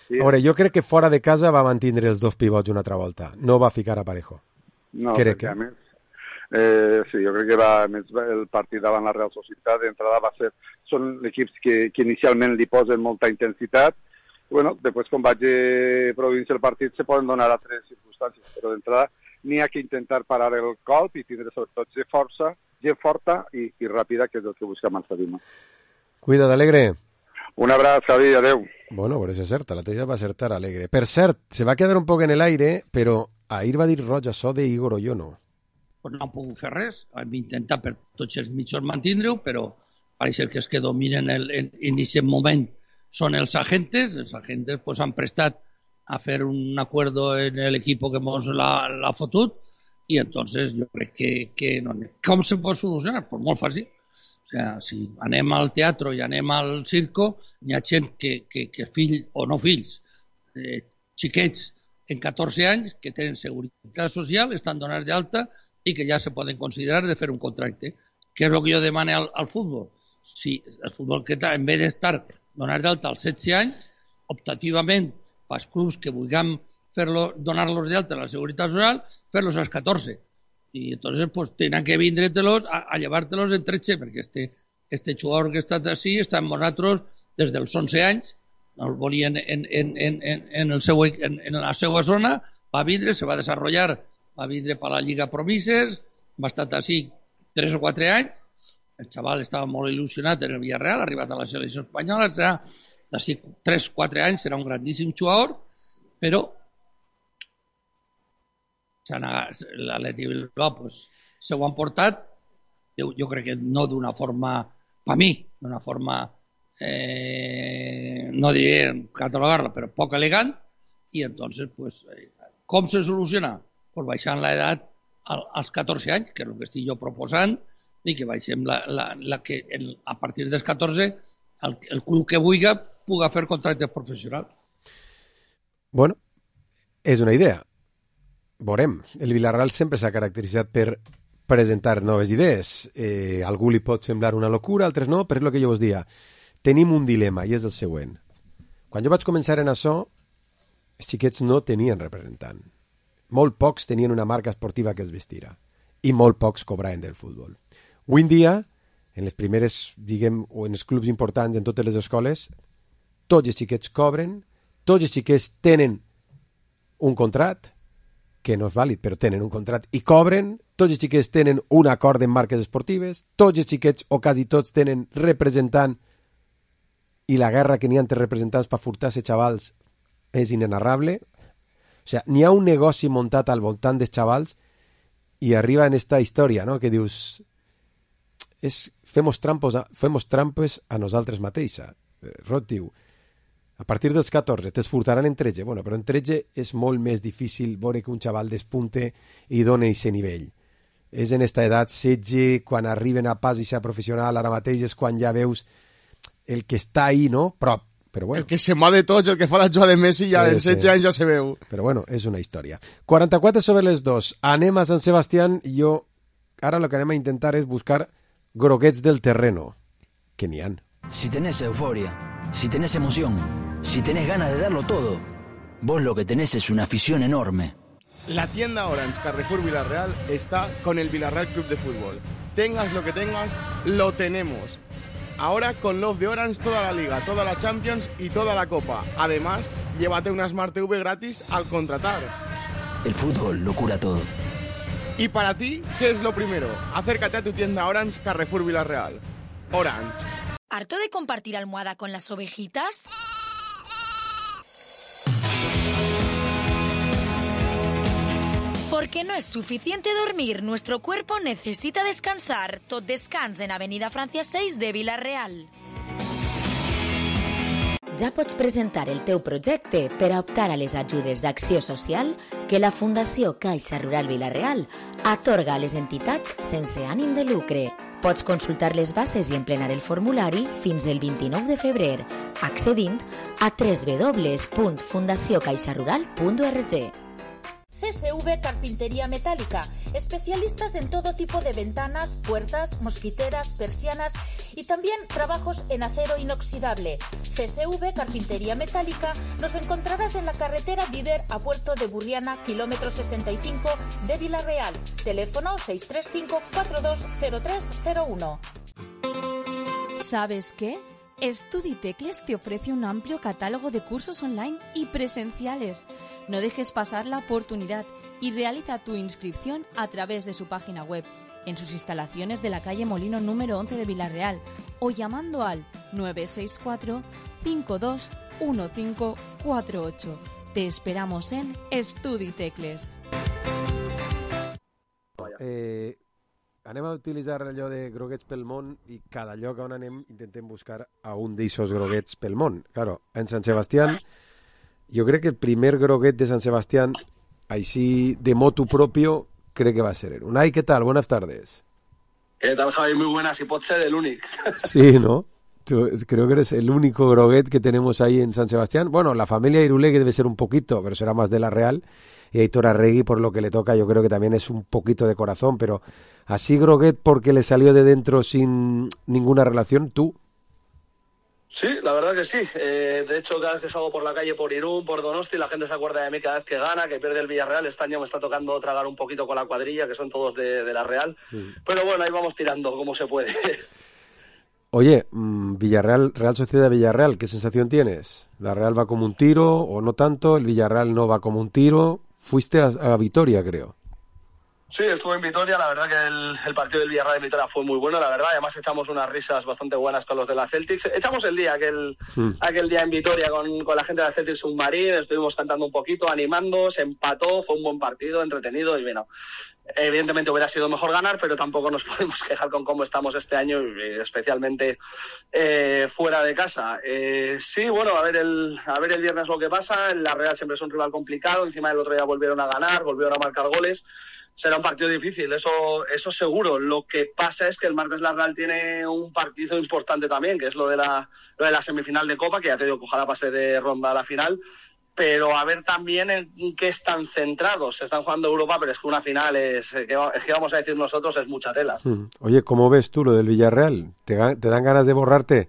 Sí. A veure, jo crec que fora de casa va mantindre els dos pivots una altra volta, no va ficar a Parejo. No, crec que que... a més, eh, sí, jo crec que va, més el partit davant la Real Societat d'entrada va ser, són equips que, que inicialment li posen molta intensitat. Bueno, després quan vagi produint el partit se poden donar altres circumstàncies, però d'entrada n'hi ha que intentar parar el colp i tindre sobretot gent força, gent forta i, i ràpida, que és el que buscam al Sabino. Cuida't, Alegre. Un abraç, Javi, adeu. Bueno, por eso acerta, la tella va acertar Alegre. Per cert, se va quedar un poc en el aire, però ahir va dir roig això de Igor Oyono. Pues no han pogut fer res, hem intentat per tots els mitjans mantindre-ho, però pareix que els que dominen el, en, en aquest moment són els agentes, els agentes pues, han prestat a fer un acuerdo en el equipo que mos l'ha fotut, i entonces jo crec que, que no, com se pot solucionar? Pues molt fàcil. O sea, si anem al teatre i anem al circo, hi ha gent que, que, que fills o no fills, eh, xiquets en catorze anys que tenen seguretat social, estan donats d'alta i que ja se poden considerar de fer un contracte. Què és el que jo demane al, al futbol? Si el futbol que en vez d'estar donats d'alta als setze anys, optativament pels clubs que vulguem fer-lo, donar-los d'alta a la seguretat social, fer-los als catorze. Y entonces pues tenen que vindre-te-los a, a llevar-te-los en tretze, perquè este, este jugador que està així està amb nosaltres des dels onze anys, no el volien en, en, en, en, en, el seu, en, en la seva zona, va vindre, se va desenvolupar, va vindre per la Lliga Promises, va estar així tres o quatre anys, el xaval estava molt il·lusionat en el Villarreal, ha arribat a la selecció espanyola, d'ací tres o quatre anys serà un grandíssim jugador, però l'Atleti Bilbao pues, se ho han portat, jo, jo crec que no d'una forma, per mi, d'una forma, eh, no diré catalogar-la, però poc elegant, i entonces, pues, eh, com se soluciona? Pues baixant l'edat als catorze anys, que és el que estic jo proposant, i que baixem la, la, la que el, a partir dels catorze el, el club que vulgui pugui fer contractes professionals. Bueno, és una idea. Veurem, el Villarreal sempre s'ha caracteritzat per presentar noves idees. Eh, algú li pot semblar una locura, altres no, però és el que jo us dia. Tenim un dilema, i és el següent. Quan jo vaig començar en això, els xiquets no tenien representant. Molt pocs tenien una marca esportiva que els vestira. I molt pocs cobraven del futbol. Avui en dia, en les primeres, diguem, o en els clubs importants, en totes les escoles, tots els xiquets cobren, tots els xiquets tenen un contrat, que no és vàlid, però tenen un contrat i cobren, tots els xiquets tenen un acord en marques esportives, tots els xiquets, o quasi tots, tenen representant, i la guerra que n'hi ha entre representants per furtar-se xavals és inenarrable. O sigui, n'hi ha un negoci muntat al voltant dels xavals i arriba en esta història, no?, que dius, és, femos, trampos a, femos trampes a nosaltres mateixa. Rot diu, a partir dels catorze t'esfurtaran en tretze, bueno, però en tretze és molt més difícil veure que un xaval despunte i doni aquest nivell. És en esta edat, setze, quan arriben a pas i ser professional, ara mateix és quan ja veus el que està ahí, no? Però, però bueno. El que se'n va de tots, el que fa la jugada de Messi, ja sí, en setze sí. anys ja se veu. Però bueno, és una història. quaranta-quatre sobre les dos. Anem a Sant Sebastián i jo, ara el que anem a intentar és buscar groguets del terreno, que n'hi han. Si tenés euforia, si tenés emoción, si tenés ganas de darlo todo, vos lo que tenés es una afición enorme. La tienda Orange Carrefour Villarreal está con el Villarreal Club de Fútbol. Tengas lo que tengas, lo tenemos. Ahora con Love de Orange toda la Liga, toda la Champions y toda la Copa. Además, llévate una Smart T V gratis al contratar. El fútbol lo cura todo. Y para ti, ¿qué es lo primero? Acércate a tu tienda Orange Carrefour Villarreal. Orange. ¿Harto de compartir almohada con las ovejitas? Porque no es suficiente dormir, nuestro cuerpo necesita descansar. Tot descans en Avenida Francia seis de Villarreal. Ja pots presentar el teu projecte per a optar a les ajudes d'acció social que la Fundació Caixa Rural Vila-real atorga a les entitats sense ànim de lucre. Pots consultar les bases i emplenar el formulari fins el vint-i-nou de febrer, accedint a doble u doble u doble u punt fundació caixa rural punt org. C S V Carpintería Metálica, especialistas en todo tipo de ventanas, puertas, mosquiteras, persianas y también trabajos en acero inoxidable. C S V Carpintería Metálica nos encontrarás en la carretera Viver a Puerto de Burriana, kilómetro sesenta y cinco de Vila-real. Teléfono seis tres cinco cuatro dos cero tres cero uno. ¿Sabes qué? StudiTecles te ofrece un amplio catálogo de cursos online y presenciales. No dejes pasar la oportunidad y realiza tu inscripción a través de su página web, en sus instalaciones de la calle Molino número once de Vila-real o llamando al nueve seis cuatro cinco dos uno cinco cuatro ocho. Te esperamos en StudiTecles. Eh... Anem a utilitzar allò de groguets pel món i cada lloc on anem intentem buscar a un d'eixos groguets pel món. Claro, en Sant Sebastián, jo crec que el primer groguet de Sant Sebastián, així de motu propio, crec que va ser él. Unai, ¿qué tal? Buenas tardes. ¿Qué tal, Javi? Muy buenas. Y pot ser el único. Sí, ¿no? Tú, creo que eres el único groguet que tenemos ahí en San Sebastián. Bueno, la familia Irulegui debe ser un poquito, pero será más de la Real. Y Aitor Arregui, por lo que le toca, yo creo que también es un poquito de corazón, pero así groguet porque le salió de dentro sin ninguna relación, ¿tú? Sí, la verdad que sí. Eh, de hecho, cada vez que salgo por la calle, por Irún, por Donosti, la gente se acuerda de mí cada vez que gana, que pierde el Villarreal. Este año me está tocando tragar un poquito con la cuadrilla, que son todos de, de la Real. Sí. Pero bueno, ahí vamos tirando como se puede. Oye, Villarreal, Real Sociedad Villarreal, ¿qué sensación tienes? ¿La Real va como un tiro o no tanto? ¿El Villarreal no va como un tiro? Fuiste a, a Vitoria, creo. Sí, estuve en Vitoria, la verdad que el, el partido del Villarreal en Vitoria fue muy bueno, la verdad, además echamos unas risas bastante buenas con los de la Celtics, echamos el día, aquel, mm. aquel día en Vitoria con, con la gente de la Celtics Submarín, estuvimos cantando un poquito, animando, se empató, fue un buen partido, entretenido y bueno, evidentemente hubiera sido mejor ganar, pero tampoco nos podemos quejar con cómo estamos este año, especialmente eh, fuera de casa. Eh, sí, bueno, a ver, el, a ver el viernes lo que pasa, la Real siempre es un rival complicado, encima del otro día volvieron a ganar, volvieron a marcar goles. Será un partido difícil, eso eso seguro. Lo que pasa es que el martes la Real tiene un partido importante también, que es lo de la lo de la semifinal de Copa, que ya te digo que ojalá pase de ronda a la final, pero a ver también en qué están centrados. Se están jugando Europa, pero es que una final es, que, es que vamos a decir nosotros, es mucha tela. Oye, ¿cómo ves tú lo del Villarreal? ¿Te, te dan ganas de borrarte?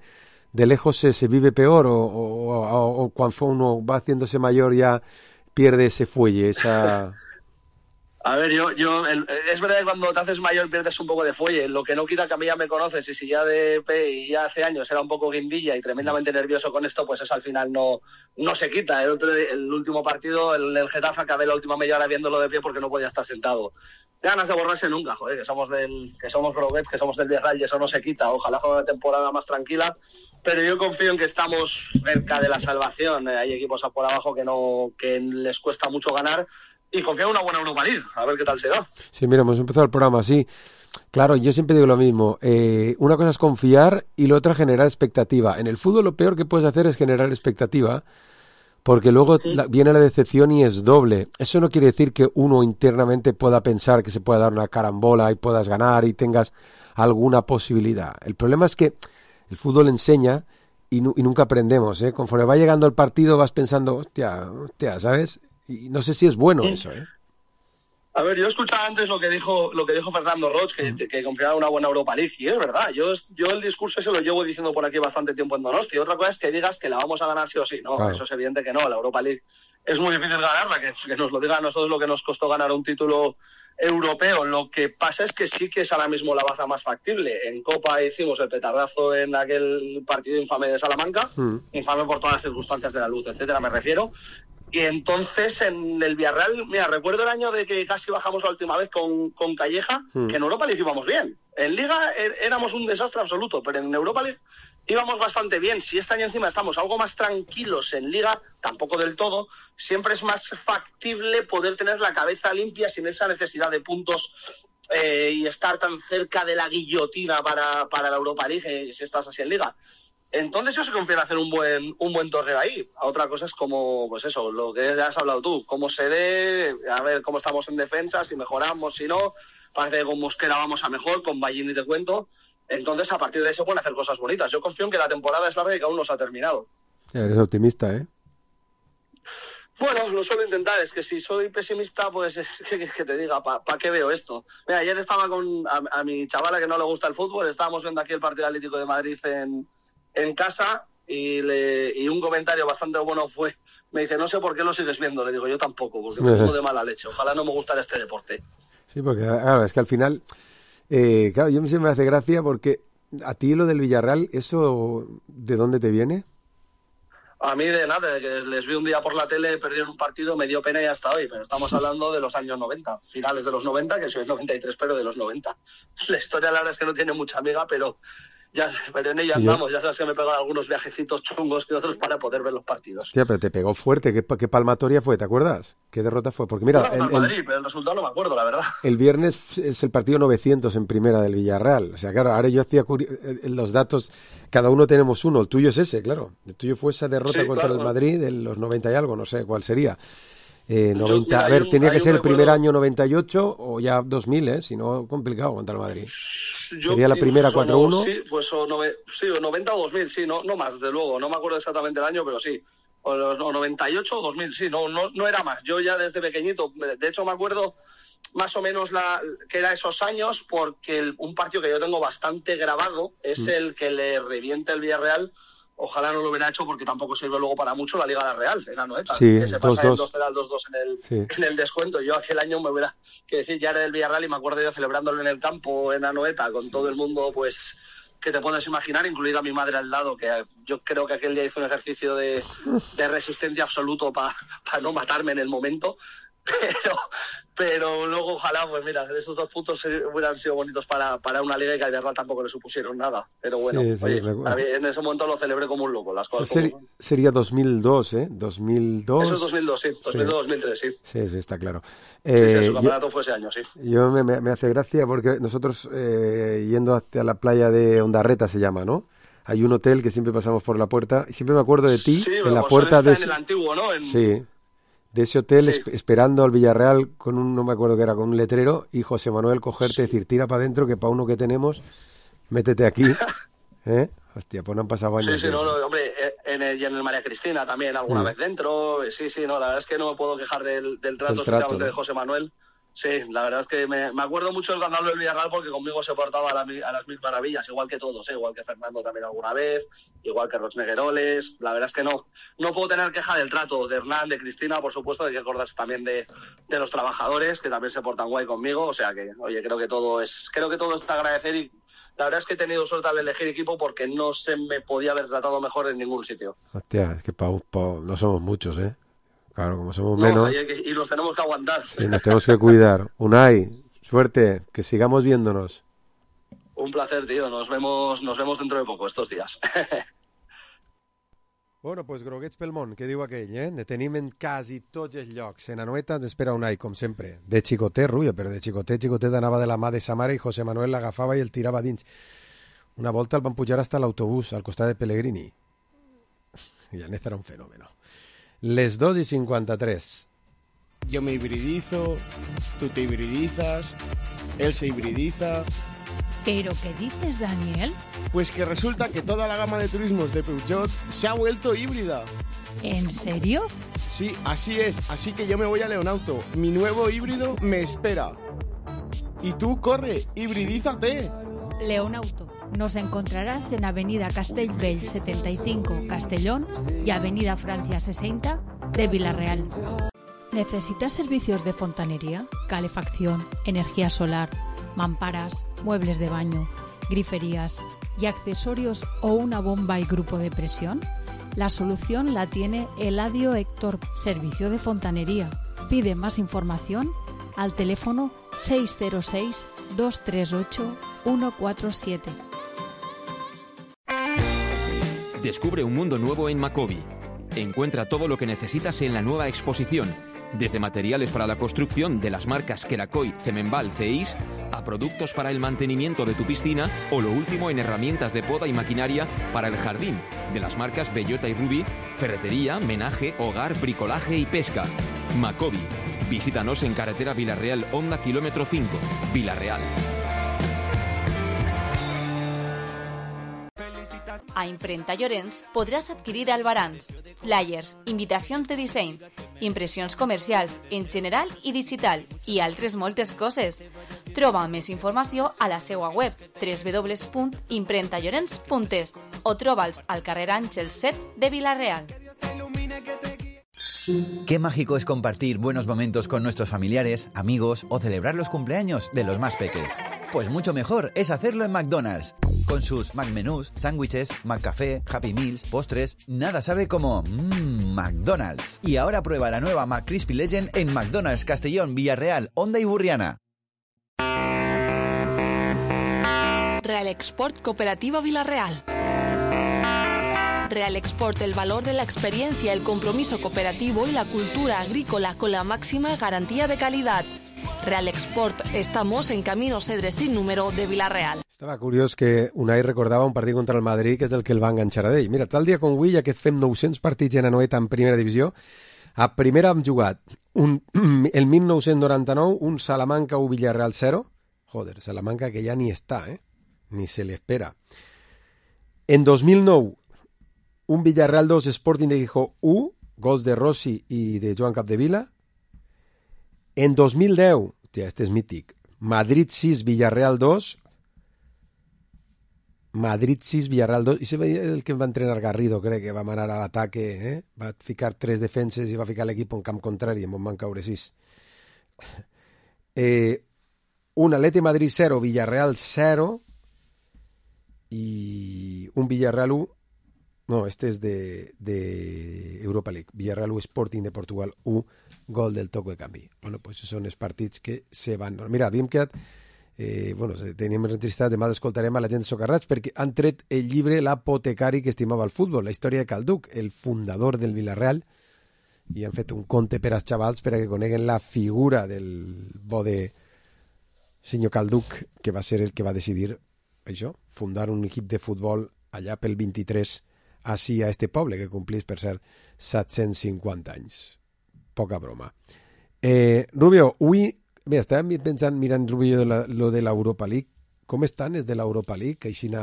¿De lejos se, se vive peor o, o, o, o cuando uno va haciéndose mayor ya pierde ese fuelle, esa... A ver, yo, yo el, es verdad que cuando te haces mayor pierdes un poco de fuelle, lo que no quita que a mí ya me conoces y si ya de P y ya hace años era un poco guimbilla y tremendamente nervioso con esto, pues eso al final no, no se quita. El, otro, el último partido, el, el Getafe, acabé la última media hora viéndolo de pie porque no podía estar sentado. Ganas de borrarse nunca, joder, que somos del, que somos groguets, que somos del Villarreal y eso no se quita. Ojalá fuera una temporada más tranquila, pero yo confío en que estamos cerca de la salvación. Hay equipos por abajo que no, que les cuesta mucho ganar. Y confío en una buena Europa League, a ver qué tal se da. Sí, mira, hemos empezado el programa así. Claro, yo siempre digo lo mismo. Eh, una cosa es confiar y la otra generar expectativa. En el fútbol lo peor que puedes hacer es generar expectativa, porque luego sí. la, viene la decepción y es doble. Eso no quiere decir que uno internamente pueda pensar que se pueda dar una carambola y puedas ganar y tengas alguna posibilidad. El problema es que el fútbol enseña y, nu- y nunca aprendemos, ¿eh? Conforme va llegando el partido vas pensando, hostia, hostia, ¿sabes? Y no sé si es bueno sí. eso, ¿eh? A ver, yo escuchaba antes lo que dijo lo que dijo Fernando Roig, que, uh-huh. que confiaba en una buena Europa League, y es verdad, yo, yo el discurso ese lo llevo diciendo por aquí bastante tiempo en Donosti. Otra cosa es que digas que la vamos a ganar sí o sí, no, claro. Eso es evidente que no, la Europa League es muy difícil ganarla, que, que nos lo diga a nosotros lo que nos costó ganar un título europeo. Lo que pasa es que sí que es ahora mismo la baza más factible. En Copa hicimos el petardazo en aquel partido infame de Salamanca, uh-huh. infame por todas las circunstancias de la luz, etcétera, me refiero. Y entonces en el Villarreal, mira, recuerdo el año de que casi bajamos la última vez con, con Calleja, mm. que en Europa League íbamos bien. En Liga er, éramos un desastre absoluto, pero en Europa League íbamos bastante bien. Si este año encima estamos algo más tranquilos en Liga, tampoco del todo, siempre es más factible poder tener la cabeza limpia sin esa necesidad de puntos eh, y estar tan cerca de la guillotina para, para la Europa League, eh, si estás así en Liga. Entonces yo sí confío en hacer un buen un buen torneo ahí. A otra cosa es como, pues eso, lo que ya has hablado tú, cómo se ve, a ver cómo estamos en defensa, si mejoramos, si no. Parece que con Mosquera vamos a mejor, con Ballini te cuento. Entonces a partir de eso pueden hacer cosas bonitas. Yo confío en que la temporada es larga y que aún no se ha terminado. Ya eres optimista, ¿eh? Bueno, lo suelo intentar. Es que si soy pesimista, pues que, que te diga, ¿para pa qué veo esto? Mira, ayer estaba con a, a mi chavala que no le gusta el fútbol, estábamos viendo aquí el partido Atlético de Madrid en, en casa y, le, y un comentario bastante bueno fue, me dice, no sé por qué lo sigues viendo. Le digo, yo tampoco, porque me pongo de mala leche. Ojalá no me gustara este deporte. Sí, porque claro, es que al final, eh, claro, yo me hace gracia porque a ti lo del Villarreal, ¿eso de dónde te viene? A mí de nada, de que les vi un día por la tele, perdieron un partido, me dio pena y hasta hoy, pero estamos hablando de los años noventa, finales de los noventa, que soy el noventa y tres, pero de los noventa. La historia la verdad es que no tiene mucha amiga, pero ya pero en ella sí, andamos, yo... ya sabes que me he pegado algunos viajecitos chungos que otros para poder ver los partidos. Hostia, pero te pegó fuerte, ¿qué, qué palmatoria fue? ¿Te acuerdas? ¿Qué derrota fue? Porque mira, bueno, el, el Madrid, pero el resultado no me acuerdo, la verdad. El viernes es el partido novecientos en primera del Villarreal, o sea, claro, ahora yo hacía curi... los datos, cada uno tenemos uno, el tuyo es ese, claro, el tuyo fue esa derrota sí, contra claro, el Madrid de los noventa y algo, no sé cuál sería. Eh, noventa, yo, mira, a ver, un, tenía que ser el primer año noventa y ocho o ya dos mil, ¿eh? Si no, complicado contra el Madrid. Yo, Sería la primera cuatro uno. Sí, pues o, nove, sí, o noventa o dos mil, sí, no, no más, desde luego. No me acuerdo exactamente el año, pero sí. O, o noventa y ocho o dos mil, sí, no, no, no era más. Yo ya desde pequeñito, de hecho me acuerdo más o menos la, que era esos años, porque el, un partido que yo tengo bastante grabado es mm. el que le revienta el Villarreal. Ojalá no lo hubiera hecho porque tampoco sirve luego para mucho la Liga La Real, en Anoeta, sí, que se dos, pasa dos. el dos cero al dos dos en el, sí. en el descuento. Yo aquel año me hubiera, que decir, ya era del Villarreal y me acuerdo yo celebrándolo en el campo en Anoeta con sí. todo el mundo, pues, que te puedes imaginar, incluida mi madre al lado, que yo creo que aquel día hizo un ejercicio de, de resistencia absoluto para pa no matarme en el momento. Pero, pero luego ojalá, pues mira, esos dos puntos hubieran sido bonitos para, para una liga y que al Villarreal tampoco le supusieron nada. Pero bueno, sí, sí, oye, en ese momento lo celebré como un loco. Las cosas Seri como... Sería dos mil dos, ¿eh? dos mil dos. Eso es dos mil dos, sí. dos mil dos, dos mil tres, sí. Sí, sí, está claro. Eh, sí, sí, su campeonato yo, fue ese año, sí. Yo me, me, me hace gracia porque nosotros, eh, yendo hacia la playa de Ondarreta se llama, ¿no? Hay un hotel que siempre pasamos por la puerta y siempre me acuerdo de ti sí, en la pues puerta de... en el antiguo, ¿no? En... Sí. De ese hotel, sí. es, esperando al Villarreal con un, no me acuerdo qué era, con un letrero, y José Manuel cogerte y sí. decir, tira para adentro, que para uno que tenemos, métete aquí. ¿Eh? Hostia, pues no han pasado años. Sí, sí, no, no, hombre, en el, y en el María Cristina también alguna mm. vez dentro. Sí, sí, no, la verdad es que no me puedo quejar del, del trato, especialmente ¿no? de José Manuel. Sí, la verdad es que me, me acuerdo mucho del cuando hablo del Villarreal porque conmigo se portaba a, la, a las mil maravillas, igual que todos, ¿eh? Igual que Fernando también alguna vez, igual que Rosnegueroles. La verdad es que no, no puedo tener queja del trato de Hernán, de Cristina, por supuesto, hay que acordarse también de, de los trabajadores que también se portan guay conmigo, o sea que, oye, creo que todo es, creo que todo es de agradecer y la verdad es que he tenido suerte al elegir equipo porque no se me podía haber tratado mejor en ningún sitio. Hostia, es que pa, pa, no somos muchos, ¿eh? Claro, como somos no, menos... Que, y los tenemos que aguantar. Sí, nos tenemos que cuidar. Unai, suerte, que sigamos viéndonos. Un placer, tío. Nos vemos nos vemos dentro de poco, estos días. Bueno, doncs pues, groguets pel món, què diu aquell, eh? Ne tenim en quasi tots els llocs. En Anoeta ens espera Unai, com sempre. De xicotet, Rubio, però de xicotet, xicotet anava de la mà de sa mare i José Manuel l'agafava i el tirava dins. Una volta el van pujar hasta l'autobús, al costat de Pellegrini. I Anez era un fenómeno. Les dos y cincuenta tres. Yo me hibridizo, tú te hibridizas, él se hibridiza. ¿Pero qué dices, Daniel? Pues que resulta que toda la gama de turismos de Peugeot se ha vuelto híbrida. ¿En serio? Sí, así es. Así que yo me voy a Leonauto. Mi nuevo híbrido me espera. Y tú, corre, hibridízate. Leonauto. Nos encontrarás en Avenida Castellbell setenta y cinco, Castellón, y Avenida Francia sesenta de Villarreal. ¿Necesitas servicios de fontanería, calefacción, energía solar, mamparas, muebles de baño, griferías y accesorios o una bomba y grupo de presión? La solución la tiene Eladio Héctor, Servicio de Fontanería. Pide más información al teléfono seis cero seis, dos tres ocho, uno cuatro siete. Descubre un mundo nuevo en Macobi. Encuentra todo lo que necesitas en la nueva exposición. Desde materiales para la construcción de las marcas Kerakoy, Cemenbal, Ceis, a productos para el mantenimiento de tu piscina o lo último en herramientas de poda y maquinaria para el jardín, de las marcas Bellota y Ruby, ferretería, menaje, hogar, bricolaje y pesca. Macobi. Visítanos en carretera Villarreal, Honda kilómetro cinco, Villarreal. A Imprenta Llorenç podràs adquirir albarans, flyers, invitacions de disseny, impressions comercials en general i digital i altres moltes coses. Troba més informació a la seva web w w w punt imprenta llorenç punt es o troba'ls al carrer Àngel set de Vila-real. Qué mágico es compartir buenos momentos con nuestros familiares, amigos o celebrar los cumpleaños de los más peques. Pues mucho mejor es hacerlo en McDonald's. Con sus McMenús, sándwiches, McCafé, Happy Meals, postres, nada sabe como mmm, McDonald's. Y ahora prueba la nueva McCrispy Legend en McDonald's Castellón, Villarreal, Honda y Burriana. Real Export Cooperativa Villarreal. Real Export, el valor de la experiencia, el compromiso cooperativo y la cultura agrícola con la máxima garantía de calidad. Real Export, estamos en Camino Cedre sin número de Villarreal. Estava curiós que Unai recordava un partit contra el Madrid, que és el que el va enganxar a ell. Mira, tal dia com avui, ja que fem nou-cents partits en Anoeta en primera divisió, a primera hem jugat un, el mil nou-cents noranta-nou un Salamanca u Villarreal zero. Joder, Salamanca que ja ni està, eh? Ni se le espera. En dos mil nou, un Villarreal dos, Sporting de Gijón u, gols de Rossi i de Joan Capdevila. En dos mil deu, tia, este és mític, Madrid sis, Villarreal dos, Madrid sis, Villarreal dos, i és el que va entrenar Garrido, crec, que va manar a l'ataque, eh? Va ficar tres defenses i va ficar l'equip en camp contrari, en on van caure sis. Eh, un Atleti Madrid zero, Villarreal zero, i un Villarreal u, no, este és de, de Europa League, Villarreal u, Sporting de Portugal u, gol del toco de canvi. Bueno, pues són els partits que se van... Mira, havíem quedat... Eh, bueno, teníem registrat, demà escoltarem a la gent de Socarrats perquè han tret el llibre L'apotecari que estimava el futbol, la història de Calduc, el fundador del Villarreal, i han fet un conte per als xavals per a que coneguen la figura del bo de senyor Calduc, que va ser el que va decidir això, fundar un equip de futbol allà pel vint-i-tres així a este poble, que complís, per cert, set-cents cinquanta anys. Poca broma. Eh, Rubio, avui, bé, estàvem pensant, mirant, Rubio, la, lo de l'Europa League. Com estan els de l'Europa League, aixina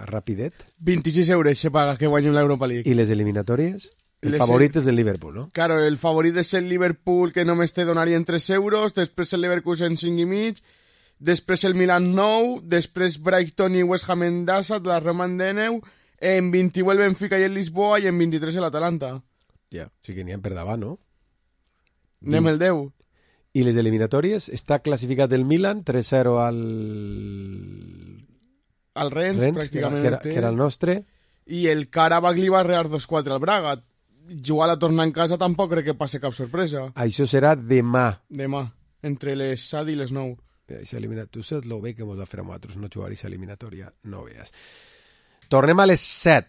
rapidet? vint-i-sis euros se paga que guanyen l'Europa League. I les eliminatòries? El les favorit és el Liverpool, no? Claro, el favorit és el Liverpool, que només te donarien tres euros, després el Leverkusen cinc i mig, després el Milan nou, després Brighton i West Ham en Dassat, la Roma en deu, en vint-i-u el Benfica i el Lisboa, i en vint-i-tres l'Atalanta. Ja, sí que n'hi ha per davant, no? Anem el deu. I les eliminatòries? Està classificat el Milan, tres zero al... Al Rennes, Rennes pràcticament. Que era, que era el nostre. I el Karabakh li va rear dos quatre al Braga. Jugar a tornar en casa tampoc crec que passi cap sorpresa. Això serà demà. Demà, entre les set i les nou. Això eliminat. Tu saps lo bé que mos va fer a nosaltres no jugar a aquesta eliminatòria, no veus. Tornem a les set.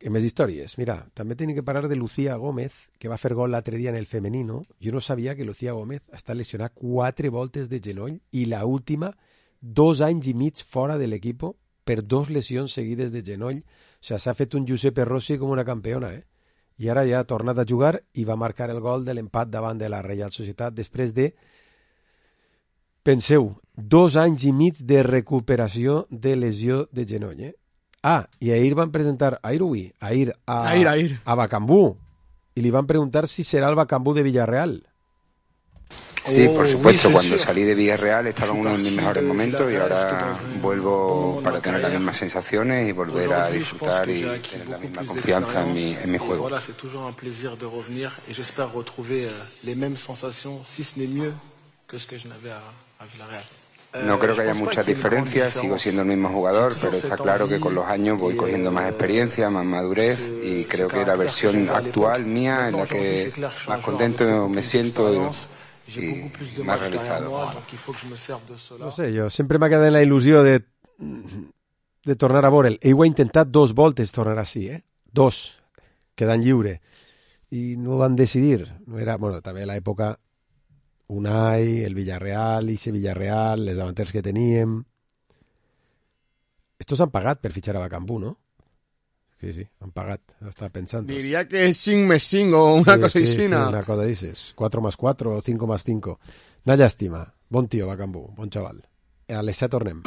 Que més històries. Mira, també tenim que parlar de Lucía Gómez, que va fer gol l'altre dia en el femenino. Jo no sabia que Lucía Gómez està lesionada quatre voltes de genoll i la última, dos anys i mig fora de l'equip per dos lesions seguides de genoll. O sigui, s'ha fet un Giuseppe Rossi com una campiona, eh? I ara ja ha tornat a jugar i va marcar el gol de l'empat davant de la Reial Societat després de, penseu, dos anys i mig de recuperació de lesió de genoll, eh? Ah, i ahir van presentar, ahir avui, ahir a, ahir, ahir. a Bacambú, y le van a preguntar si será el Bacambú de Villarreal. Sí, por supuesto, oh, cuando salí de Villarreal estaba en uno de mis mejores momentos y ahora vuelvo para tener las mismas sensaciones y volver a disfrutar y tener la misma confianza en mi, en mi juego. Voilà, c'est toujours un plaisir de revenir et j'espère retrouver les mêmes sensations, si ce n'est mieux que ce que je n'avais à, à Villarreal. No creo que haya muchas diferencias, sigo siendo el mismo jugador, pero está claro que con los años voy cogiendo más experiencia, más madurez y creo que la versión actual mía en la que más contento me siento y, y más realizado. No sé, jo sempre m'ha quedat en la il·lusió de, de tornar a veure'l. Ell ho ha intentat dos voltes tornar així, eh? Dos, quedant lliure. i no van decidir. No era, bueno, també a l'època Unai, el Villarreal, Ixe Villarreal, les davanters que teníem. Estos han pagat per fitxar a Bakambu, no? Sí, sí, han pagat, estava pensant. Diria que és cinc més cinc o una sí, cosa sí, així. Sí, una cosa dices, cuatro más cuatro o cinco más cinco. Una llàstima. Bon tio, Bakambu, bon xaval. A les set tornem.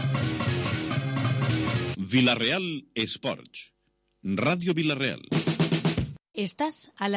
Villarreal Esports. Ràdio Villarreal. Estàs a la